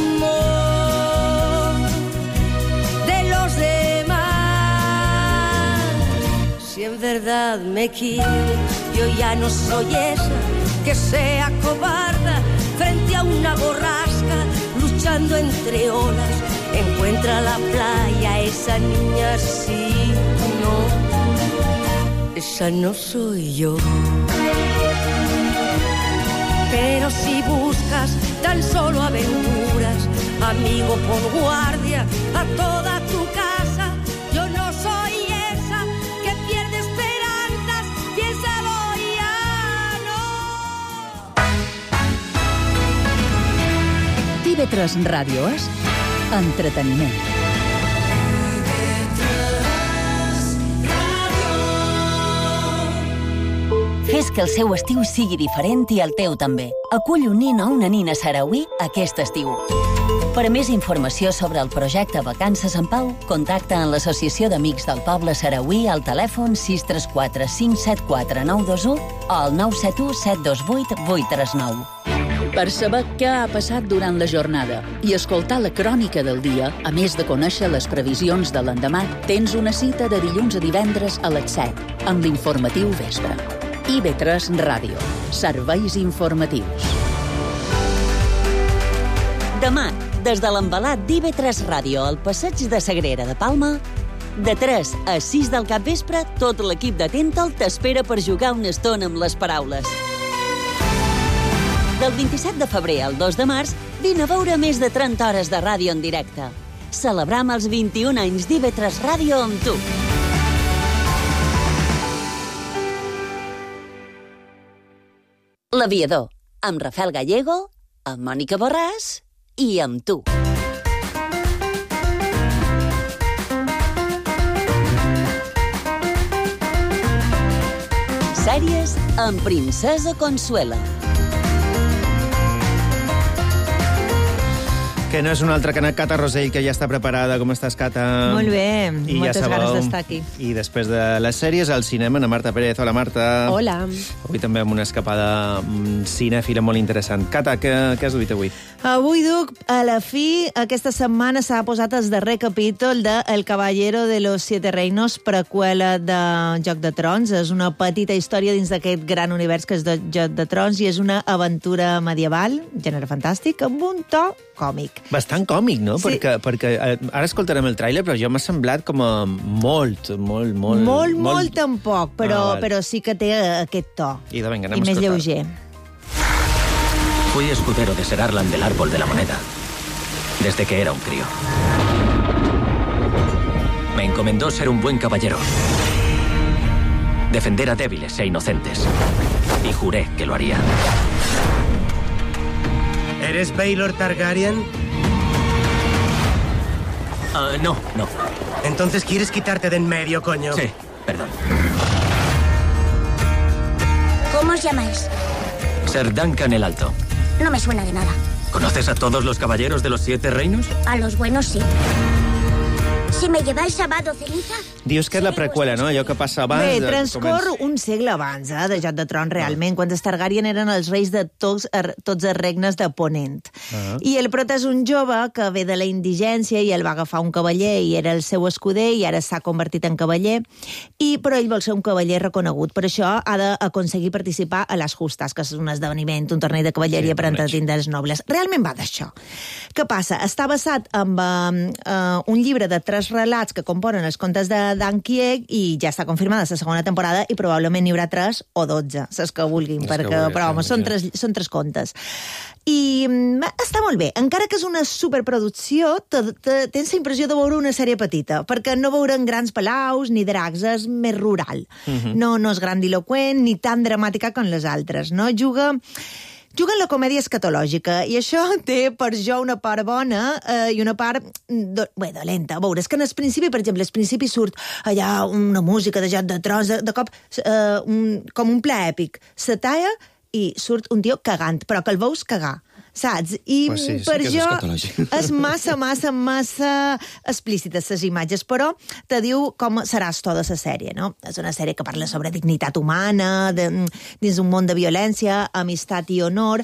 verdad me quiere. Yo ya no soy esa que sea cobarda frente a una borrasca, luchando entre olas. Encuentra la playa esa niña, sí, no, esa no soy yo. Pero si buscas tan solo aventuras, amigo, pon guardia a toda tu casa. Yo no soy esa que pierde esperanzas, piénsalo ya, no. TV3 Ràdio és entreteniment. Fes que el seu estiu sigui diferent i el teu també. Acull un nin o una nina sarauí aquest estiu. Per a més informació sobre el projecte Vacances en Pau, contacta en l'Associació d'Amics del Poble Sarauí al telèfon 634 574 921 o al 971 728 839. Per saber què ha passat durant la jornada i escoltar la crònica del dia, a més de conèixer les previsions de l'endemà, tens una cita de dilluns a divendres a les 7 amb l'informatiu Vespre. IB3 Ràdio. Serveis informatius. Demà, des de l'embalat d'IB3 Ràdio al Passeig de Sagrera de Palma, de 3 a 6 del capvespre, tot l'equip de Tentol t'espera per jugar una estona amb les paraules. Del 27 de febrer al 2 de març, vine a veure més de 30 hores de ràdio en directe. Celebram els 21 anys d'IB3 Ràdio amb tu. L'Aviador, amb Rafael Gallego, amb Mònica Borràs i amb tu. Sèries amb Princesa Consuela. Que no és una altra que Cata Rosell, que ja està preparada. Com estàs, Cata? Molt bé, I moltes ja ganes d'estar aquí. I després de les sèries, al cinema, na Marta Pérez. Hola, Marta. Hola. Avui també amb una escapada cinèfila molt interessant. Cata, què has duit avui? Avui duc, a la fi, aquesta setmana s'ha posat el darrer capítol de El Caballero de los Siete Reinos, preqüela de Joc de Trons. És una petita història dins d'aquest gran univers que és de Joc de Trons i és una aventura medieval, gènere fantàstic, amb un to còmic. Bastant còmic, no? Sí. Perquè ara escoltarem el tràiler, però jo m'ha semblat com a molt tampoc, però sí que té aquest to. I venga, I més lleuger. Fui escudero de Ser Arlan del Árbol de la Moneda, desde que era un crío. Me encomendó ser un buen caballero, defender a débiles e inocentes, y juré que lo haría. ¿Eres Baelor Targaryen? No. Entonces quieres quitarte de en medio, coño. Sí, perdón. ¿Cómo os llamáis? Ser Duncan el Alto. No me suena de nada. ¿Conoces a todos los caballeros de los 7 reinos? A los buenos sí. Si me lleváis a Vado Ceniza... Dius que és la preqüela, no? Allò que passa abans... Bé, transcorre un segle abans de Joc de Trons, realment, quan els Targaryen eren els reis de tots els regnes de Ponent. I el prota és un jove que ve de la indigència i el va agafar un cavaller i era el seu escuder i ara s'ha convertit en cavaller, però ell vol ser un cavaller reconegut. Per això ha d'aconseguir participar a les justes, que és un esdeveniment, un torneig de cavalleria per entretindre els nobles. Realment va d'això. Què passa? Està basat en un llibre de 3 relats que componen els contes de Dan Kieg i ja està confirmada la segona temporada i probablement n'hi haurà 3 o 12, saps que vulguin, però home, són 3 contes. I està molt bé. Encara que és una superproducció, tens la impressió de veure una sèrie petita, perquè no veurem grans palaus ni dracs, és més rural. No és grandiloqüent ni tan dramàtica com les altres, no? Juga en la comèdia escatològica, i això té per jo una part bona i una part dolenta. A veure, és que en el principi, per exemple, al principi surt allà una música de Joc de Trons, de cop com un pla èpic. Se talla i surt un tio cagant, però que el veus cagar. saps? I pues sí, per que és jo escatològic. és massa explícites les imatges, però te diu com seràs tota la sèrie, no? És una sèrie que parla sobre dignitat humana, dins un món de violència, amistat i honor.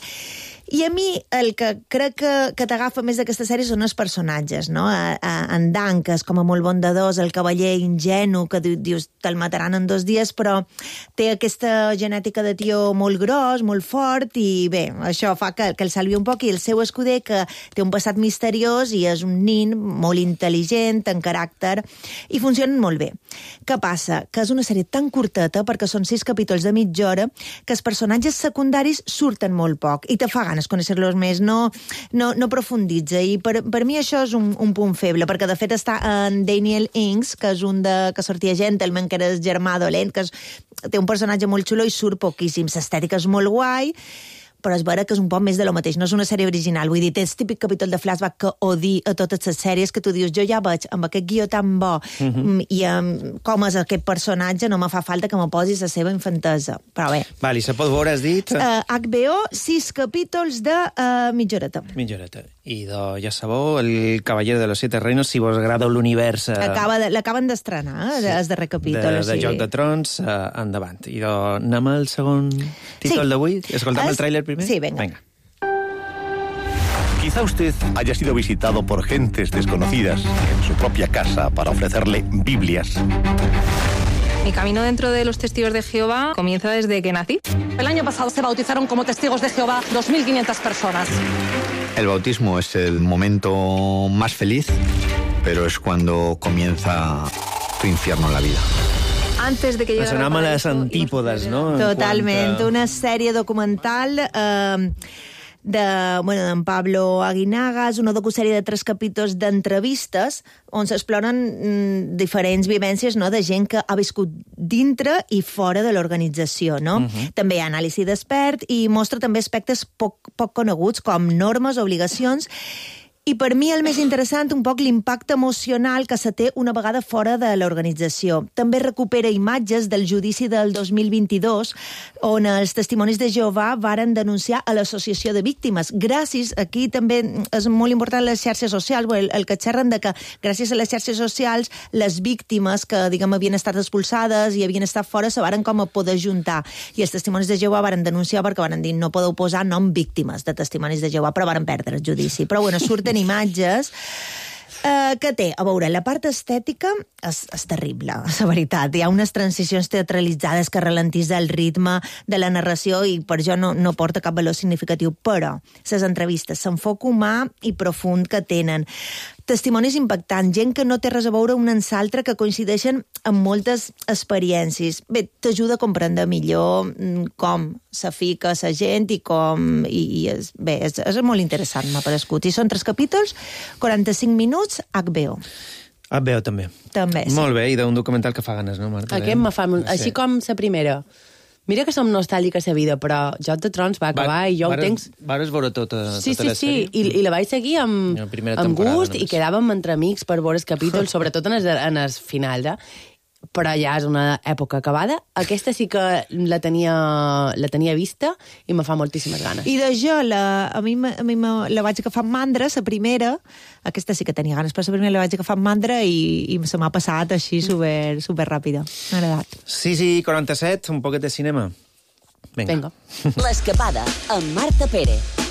I a mi el que crec que t'agafa més d'aquesta sèrie són els personatges, no? En Dan, que és com a molt bondadós, el cavaller ingenu, que dius, te'l mataran en 2 dies, però té aquesta genètica de tio molt gros, molt fort, i bé, això fa que el salvi un poc, i el seu escuder, que té un passat misteriós i és un nin molt intel·ligent, en caràcter, i funcionen molt bé. Què passa? Que és una sèrie tan curteta, perquè són 6 capítols de mitja hora, que els personatges secundaris surten molt poc, i te fa ganes conèixer-los més, no profunditza, i per mi això és un punt feble, perquè de fet està en Daniel Ings, que és un que sortia Gentleman, que era el germà dolent, que té un personatge molt xulo i surt poquíssim, l'estètica és molt guai, però és vera que és un poc més de lo mateix, no és una sèrie original, vull dir, té el típic capítol de flashback que odi a totes les sèries, que tu dius, jo ja veig amb aquest guió tan bo i com és aquest personatge, no me fa falta que me posis la seva infantesa, però bé. Vale, se pot veure, has dit? HBO, 6 capítols de mitja horeta. Mitja horeta. I ja sabeu, El Cavaller de los Siete Reinos, si vos agrada l'univers... L'acaben d'estrenar, el darrer capítol. De Joc de Trons, endavant. I anem al segon títol d'avui? Escoltam el tràiler primer? Sí, venga. Quizá usted haya sido visitado por gentes desconocidas en su propia casa para ofrecerle Biblias. Mi camino dentro de los testigos de Jehová comienza desde que nací. El año pasado se bautizaron como testigos de Jehová 2.500 personas. El bautismo es el momento más feliz, pero es cuando comienza tu infierno en la vida. Antes de que llegara al paraíso... les antípodes, no? Totalment. Una sèrie documental d'en Pablo Aguinaga, és una docusèrie de 3 capítols d'entrevistes on s'exploren diferents vivències, no?, de gent que ha viscut dintre i fora de l'organització, no? També hi ha anàlisi d'expert i mostra també aspectes poc coneguts, com normes, obligacions. I per mi el més interessant, un poc l'impacte emocional que se té una vegada fora de l'organització. També recupera imatges del judici del 2022, on els testimonis de Jehovà varen denunciar a l'associació de víctimes. Gràcies, aquí també és molt important les xarxes socials, el que xerren de que gràcies a les xarxes socials les víctimes que, diguem, havien estat expulsades i havien estat fora se varen com a poder juntar. I els testimonis de Jehovà varen denunciar perquè varen dir no podeu posar nom víctimes de testimonis de Jehovà, però varen perdre el judici. Però bueno, surten imatges que té, a veure, la part estètica és terrible, la veritat. Hi ha unes transicions teatralitzades que ralentissa el ritme de la narració i per això no porta cap valor significatiu, però les entrevistes, l'enfoc humà i profund que tenen, testimonis impactants, gent que no té res a veure un amb l'altre, que coincideixen amb moltes experiències. Bé, t'ajuda a comprendre millor com se fica la gent i com... és molt interessant, m'ha parescut. I són 3 capítols, 45 minuts, HBO. HBO també. També, sí. Molt bé, i d'un documental que fa ganes, no, Marta? Aquest me fa... Així com la primera. Mira que som nostàlgiques a vida, però Joc de Trons va acabar i jo ho tenc... Vares veure tota la sèrie? Sí, i la vaig seguir amb gust i quedàvem entre amics per veure els capítols, sobretot en el final, però ja és una època acabada. Aquesta sí que la tenia vista i me fa moltíssimes ganes. I de jo, a mi la vaig agafar amb mandra, la primera, aquesta sí que tenia ganes, però la primera la vaig agafar amb mandra i se m'ha passat així super ràpida. M'ha agradat. 6:47, un poquet de cinema. Vinga. L'escapada, amb Marta Pérez.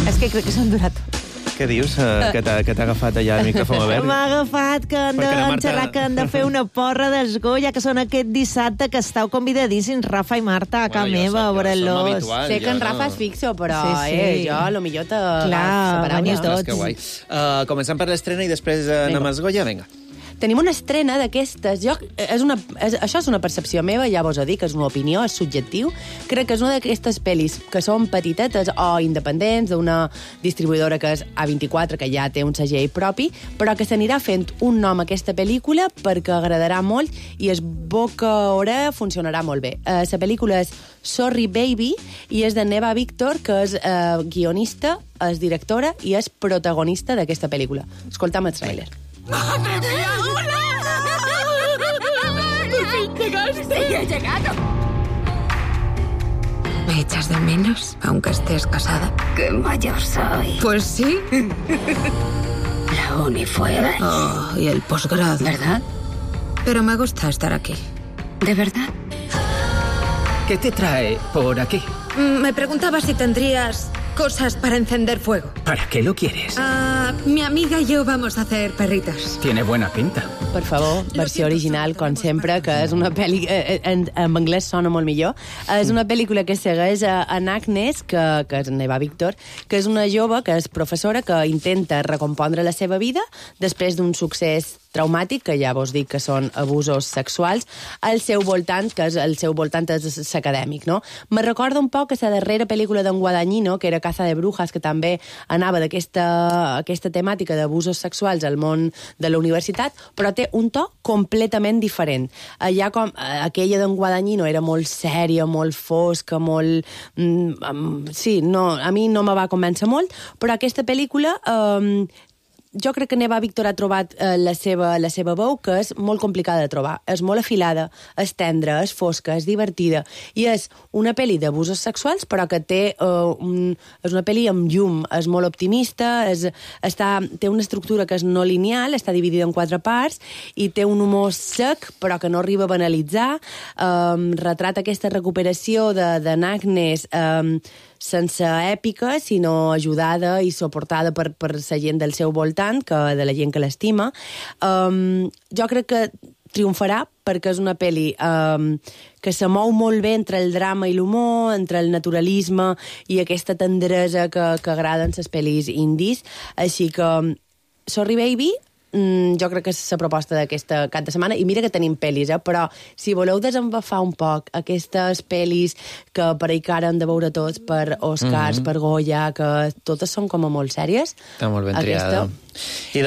És que crec que s'han durat. Què dius? Que t'ha agafat allà el micròfon obert? M'ha agafat que han de fer una porra dels Goya, que són aquest dissabte, que estàu convidadíssims, Rafa i Marta, a casa meva, a veure-los. Sé que en Rafa és fixo, però jo, lo millor Clar, veniu tots. Que guai. Comencem per l'estrena i després anem als Goya, vinga. Tenim una estrena d'aquestes. Això és una percepció meva, ja vos ho dic, és una opinió, és subjectiu. Crec que és una d'aquestes pel·lis que són petitetes o independents, d'una distribuïdora que és A24, que ja té un segell propi, però que s'anirà fent un nom a aquesta pel·lícula perquè agradarà molt i es boca-hora funcionarà molt bé. La pel·lícula és Sorry Baby i és de Neva Victor, que és guionista, és directora i és protagonista d'aquesta pel·lícula. Escoltam el tràiler. ¡Madre mía! he llegado. ¿Me echas de menos, aunque estés casada? ¡Qué mayor soy! Pues sí. La uni fue... Oh, y el posgrado. ¿Verdad? Pero me gusta estar aquí. ¿De verdad? ¿Qué te trae por aquí? Me preguntaba si tendrías cosas para encender fuego. ¿Para qué lo quieres? Mi amiga y yo vamos a hacer perritos. Tiene buena pinta. Per favor, versió original, com sempre, que és una pel·li... En anglès sona molt millor. És una pel·lícula que segueix en Agnes, que és Neva Victor, que és una jove que és professora que intenta recompondre la seva vida després d'un succés traumàtic, que ja vos dic que són abusos sexuals, al seu voltant, que és el seu voltant és acadèmic, no? Me recorda un poc que la darrera pel·lícula d'en Guadagnino, que era Caza de Brujas, que també anava d'aquesta temàtica d'abusos sexuals al món de la universitat, però té un to completament diferent. Allà com aquella d'en Guadagnino era molt sèria, molt fosca, molt... Sí, no, a mi no me va convèncer molt, però aquesta pel·lícula... Jo crec que Neva Victor ha trobat la seva veu, que és molt complicada de trobar. És molt afilada, és tendra, és fosca, és divertida. I és una pel·li d'abusos sexuals, però que té és una pel·li amb llum, és molt optimista, té una estructura que és no lineal, està dividida en 4 parts, i té un humor sec, però que no arriba a banalitzar. Retrata aquesta recuperació d'en Agnes sense èpica, sinó ajudada i suportada per la gent del seu voltant, de la gent que l'estima. Jo crec que triomfarà perquè és una pel·li que se mou molt bé entre el drama i l'humor, entre el naturalisme i aquesta tendresa que agraden les pel·lis indis. Així que Sorry Baby jo crec que és la proposta d'aquesta cap de setmana, i mira que tenim pel·lis, però si voleu desembafar un poc aquestes pel·lis que per ahir que ara han de veure tots per Oscars, per Goya, que totes són com a molt sèries. Està molt ben triada. I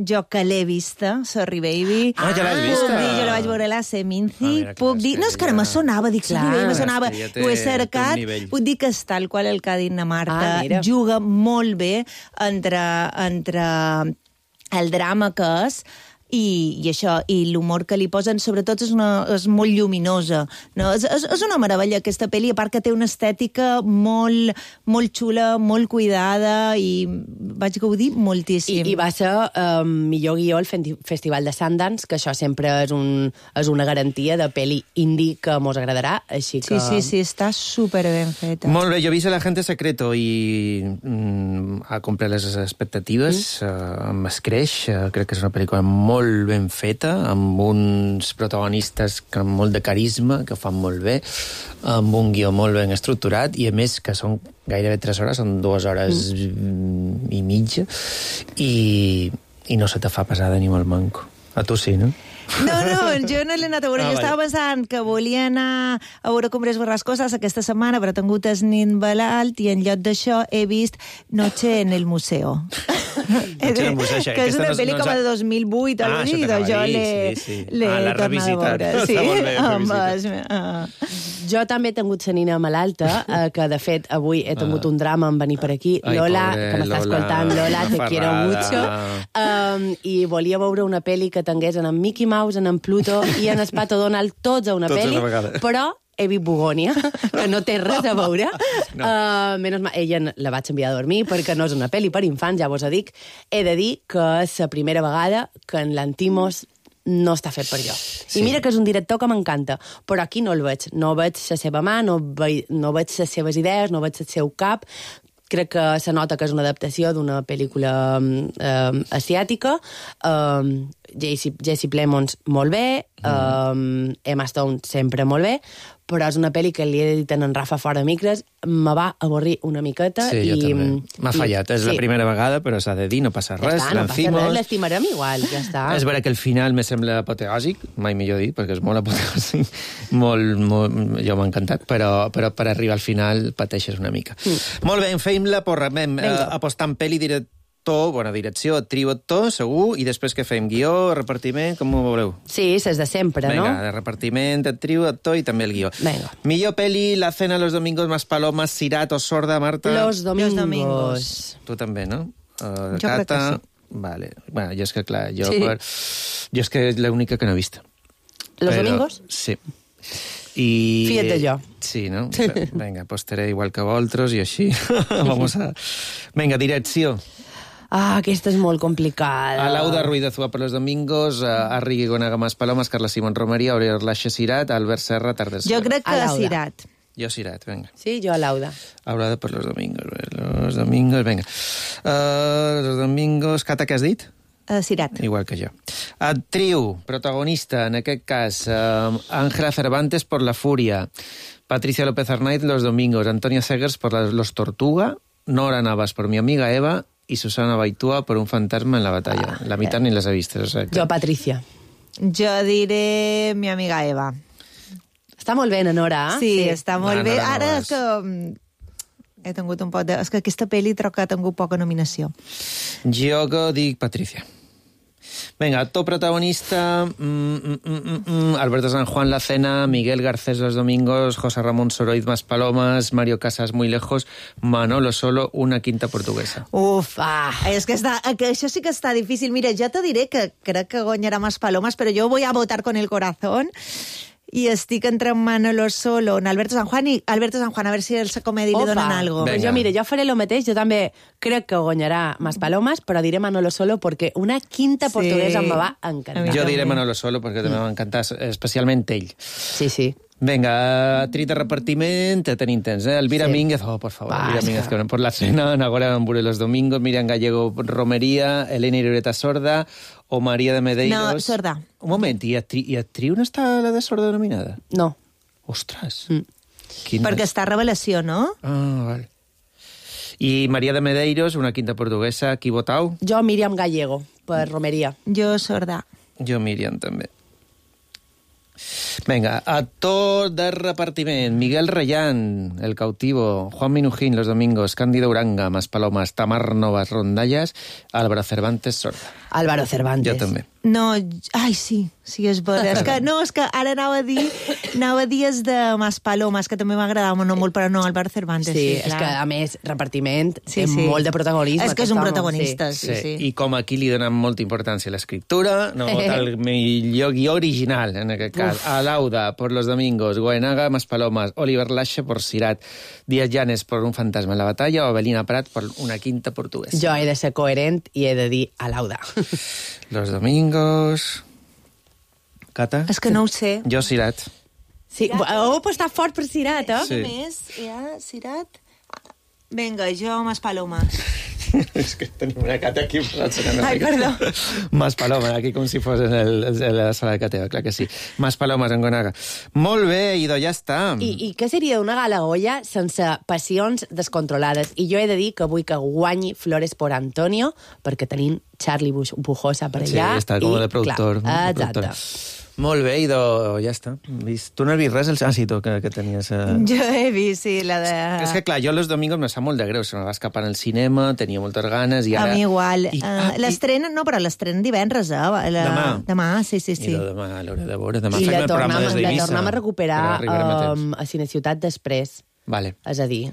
jo que l'he vista, Sorry Baby. Ja l'has vista? Jo la vaig veure a la Seminci. Puc dir... No, és que ara me sonava, dic, Sorry Baby, me sonava. Ho he cercat. Puc dir que és tal qual el que ha dit na Marta. Juga molt bé entre el drama que és i això, i l'humor que li posen, sobretot és molt lluminosa. No? És una meravella aquesta pel·li, a part que té una estètica molt xula, molt cuidada, i vaig gaudir moltíssim. I va ser millor guió al Festival de Sundance, que això sempre és una garantia de pel·li indie que mos agradarà, així que... Sí, està superben feta. Molt bé, jo he vist El Agente Secreto i ha complert les expectatives, m'escreix, crec que és una pel·lícula molt ben feta, amb uns protagonistes amb molt de carisma, que fan molt bé, amb un guió molt ben estructurat, i a més que són gairebé 3 hores, són 2 hores i mitja, i no se te fa pesada ni molt manco. A tu sí, no? No, jo no l'he anat a veure. Jo estava pensant que volia anar a veure Cumbres Borrascoses aquesta setmana, però he tingut el nit malalt i en lloc d'això he vist Noche en el Museo. Que és una pel·li com de 2008 o així, doncs jo l'he tornat a veure. Sí, jo també he tingut la nina malalta, que de fet avui he tingut un drama en venir per aquí. Lola, que m'està escoltant, Lola, te quiero mucho. I volia veure una pel·li que tingués en Mickey Mouse, en Pluto i en el Pato Donald, tots a una pel·li, però he vist Bugònia, que no té res a veure. Ella la vaig enviar a dormir perquè no és una pel·li per infants, ja vos ho dic. He de dir que és la primera vegada que en l'Antimos no està fet per jo. I mira que és un director que m'encanta, però aquí no el veig. No veig la seva mà, no veig les seves idees, no veig el seu cap. Crec que se nota que és una adaptació d'una pel·lícula asiàtica. Jesse Plemons, molt bé. Emma Stone, sempre molt bé. Però és una pel·li que li he dit a en Rafa fora micres, me va avorrir una miqueta. Sí, jo també. M'ha fallat. És la primera vegada, però s'ha de dir, no passa res. Ja està, no passa res, l'estimarem igual, ja està. És vera que el final me sembla apoteòsic, mai millor dit, perquè és molt apoteòsic, jo m'ha encantat, però per arribar al final pateixes una mica. Molt bé, fem la porra, apostant pel·li direcció, trio, actor, segur, i després que fem guió, repartiment, com ho voleu? Sí, és de sempre, no? Vinga, de repartiment, trio, actor i també el guió. Venga. Millor pel·li, La cena los domingos más palomas, Sirat o Sorda, Marta? Los domingos. Tu també, no? Jo crec que sí. Vale. Bueno, jo és que, clar, jo és que és l'única que no he vist. Los domingos? Sí. I... Fíjate jo. Sí, no? Vinga, pues estaré igual que vosaltres i així. Vamos a... Vinga, direcció. Aquesta és molt complicada. Alauda Ruiz de Zua por los domingos, Arri Gonaga Mas Palomas, Carla Simón Romería, Oriol Laixa Cirat, Albert Serra, Tardes. Jo crec que Cirat. Jo Cirat, venga. Sí, jo Alauda. Alauda por los domingos, venga. Los domingos... Cata, què has dit? Cirat. Igual que jo. Actriu, protagonista, en aquest cas, Ángela Cervantes por La Furia, Patricia López Arnaiz Los Domingos, Antonia Segers por Los Tortuga, Nora Navas por Mi Amiga Eva y Susana Baitúa por Un fantasma en la batalla. La mitad ni les he vist. O sea que... Jo Patricia. Jo diré Mi Amiga Eva. Està molt bé, Nora. Sí, està molt bé. Ara és que he tingut un poc de... És que aquesta pel·li troc que ha tingut poca nominació. Jo que dic Patricia. Venga, actor protagonista, Alberto San Juan La Cena, Miguel Garcés Los Domingos, José Ramón Soroiz Más Palomas, Mario Casas Muy Lejos, Manolo Solo, Una quinta portuguesa. Uf, és que això sí que està difícil. Mira, ja te diré que crec que guanyarà Más Palomas, però jo voy a votar con el corazón. I estic entre Manolo Solo, en Alberto San Juan, a veure si el comedi li donen algo. Pues jo faré lo mateix, jo també crec que guanyarà Más Palomas, però diré Manolo Solo perquè Una quinta portuguesa em va encantar. Jo diré Manolo Solo perquè també m'ha encantat, especialment ell. Sí, sí. Venga, actriz de repartiment, tenim temps, eh? Elvira Mínguez, por favor, Elvira Mínguez, que por La Cena, Nagora Ambure Los Domingos, Miriam Gallego Romería, Elena Irureta Sorda o María de Medeiros... No, Sorda. Un moment, i actriu no està la de Sorda nominada? No. Ostres. Perquè està Revelació, no? Ah, vale. I María de Medeiros, Una quinta portuguesa, qui votau? Jo Miriam Gallego, per Romería. Jo Sorda. Jo Miriam, també. Venga, actor de repartiment, Miguel Reyán, El Cautivo, Juan Minujín, Los Domingos, Cándido Uranga, Más Palomas, Tamar Novas, Rondallas, Álvaro Cervantes, Sorda. Álvaro Cervantes. Jo també. No, sí, és vera. És que ara anava a dir és de Más Palomas, que també m'agradava molt, però no, Álvaro Cervantes. Sí, és que a més, repartiment, té molt de protagonisme. És que és un protagonista, sí. I com aquí li donen molta importància a l'escriptura, no vota el millor guió original, en aquest cas. Alauda, por Los Domingos, Goenaga, Más Palomas, Oliver Laixa por Cirat, Díaz Llanes por Un fantasma en la batalla o Avelina Prat por Una quinta portuguesa. Jo he de ser coherent i he de dir Alauda. Los Domingos... Cata? És que no ho sé. Jo Cirat. Sí, però està fort per Cirat, eh? Sí. Més, Cirat... Vinga, jo Más Palomas. És que tenim una Cata aquí. Ai, perdó. Más Palomas, aquí com si fos en la sala de Cateva, clar que sí. Más Palomas en Gonaga. Molt bé, Ido, ja està. I què seria una gala Goya sense passions descontrolades? I jo he de dir que vull que guanyi Flores por Antonio, perquè tenim Charlie Pujosa per allà. Sí, està com de productor. Clar, exacte. Molt bé, Ido, ja està. Tu no has vist res? Sí, tu, que tenies... Jo he vist, sí, la de... És que, clar, jo Los Domingos me sap molt de greu. Se me va escapar al cinema, tenia moltes ganes i ara... A mi igual. L'estrena, no, però l'estrena divendres, Demà, sí. I demà a l'hora de veure. Demà I fem el programa des d'Eivissa. La tornem a recuperar a Cineciutat després. Vale. És a dir...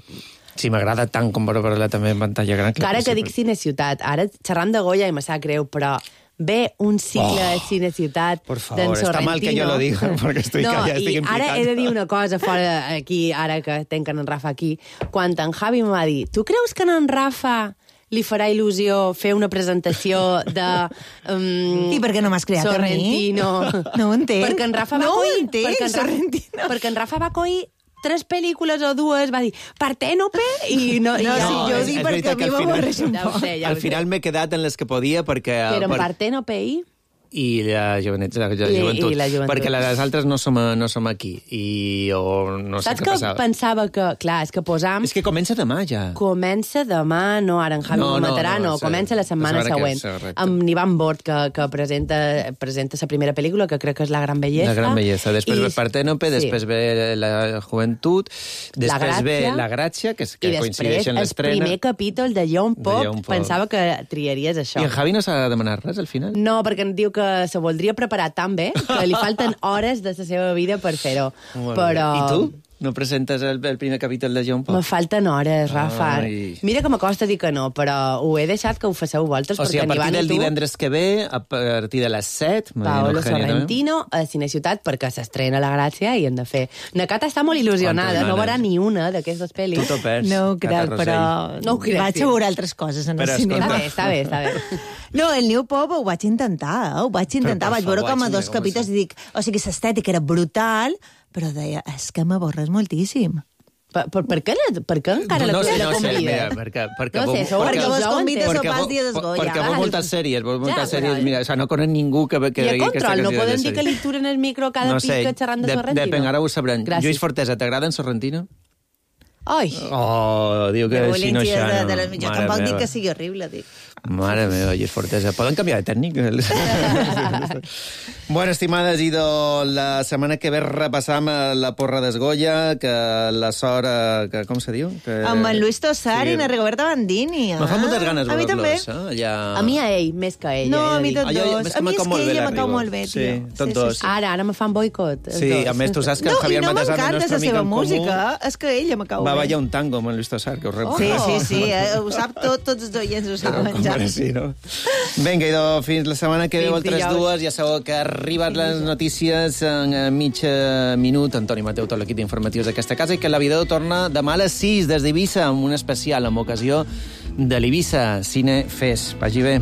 Sí, m'agrada tant com veure-la també en pantalla gran. Ara que dic Cineciutat, ara xerrant de Goya i me sap greu, però... ve un cicle de Cineciutat d'en Sorrentino. Por favor, está mal que yo lo diga, porque estoy callado, estic implicant. Ara he de dir una cosa fora aquí, ara que tenc en Rafa aquí. Quan en Javi em va dir, tu creus que en Rafa li farà il·lusió fer una presentació de... I per què no m'has creat Sorrentino? A mi? No ho entenc. Perquè en Rafa va Sorrentino. Perquè en Rafa va coir 3 pel·lícules o 2, va dir Parténope i no... No, sí, jo ho dic perquè a mi m'avorreix un poc. Al final m'he quedat en les que podia perquè... Però en Parténope i la joventut. Perquè les altres no som aquí. O no sé què passava. Saps que pensava que... Clar, és que posam... És que comença demà, ja. Comença demà, no, ara en Javi matarà, no. Comença la setmana següent. Amb Ivan Bort, que presenta la primera pel·lícula, que crec que és La gran belleza. La gran belleza. Després ve Parténope, després ve La joventut, després ve La gràcia, que coincideix en l'estrena. I després el primer capítol de John Pop. Pensava que triaries això. I en Javi no s'ha de demanar res, al final? No, perquè em diu que se voldria preparar tan bé que li falten hores de la seva vida per fer-ho. Però... I tu? No presentes el primer capítol de John Pop? Me falten hores, Rafa. Mira que m'acosta dir que no, però ho he deixat que ho faceu vosaltres. O sigui, a partir del divendres que ve, a partir de les 7... Paolo Sorrentino a Cineciutat, perquè s'estrena La Gràcia i hem de fer... Na Cata està molt il·lusionada, no veurà ni una d'aquestes pel·lis. Tu t'ho perds. No ho crec, però... No ho crec. Vaig a veure altres coses en el cinema. Està bé. No, el New Pop ho vaig intentar, vaig veure com a 2 capítols i dic... O sigui, l'estètica era brutal, però deia, és que m'avorres moltíssim. Per què encara la convida? No sé, mira, perquè vos convides a pas dia d'esgolla. Perquè veus moltes sèries, mira, no conec ningú que I a control, no podem dir que li turen el micro cada pica xerrant de Sorrentino? Depèn, ara ho sabrem. Lluís Fortesa, t'agrada en Sorrentino? Ai! Oh, diu que si no xa... Jo tampoc dic que sigui horrible, dic. Mare meva, Lluís Fortesa. Poden canviar de tècnic? Bueno, estimades, idò, la setmana que ve repassam la porra d'Esgolla, que la sort... com se diu? Amb en Luis Tosar i na Rigoberta Bandini. Me fa moltes ganes a mi també. A mi a ell, més que a ell. No, a mi tots dos. A mi és que ella me cau molt bé, tio. Sí, tots dos. Ara me fan boicot. Sí, a més, tu saps que el Javier Matasar, el nostre amic en comú... No, i no m'encanta la seva música, és que ella me cau bé. Va ballar un tango amb en Luis Tosar, que ho recordo. Sí, ho sap tots els oients, ho saben ja. Sí, no? Vinga, idò, fins la setmana que ve, altres dues. Ja sabeu que arriben les notícies en mig minut. Antoni Mateu, tot l'equip d'informatius d'aquesta casa, i que la Videu torna demà a les 6 des d'Eivissa amb un especial amb ocasió de l'Eivissa Cine Fest. Vagi bé.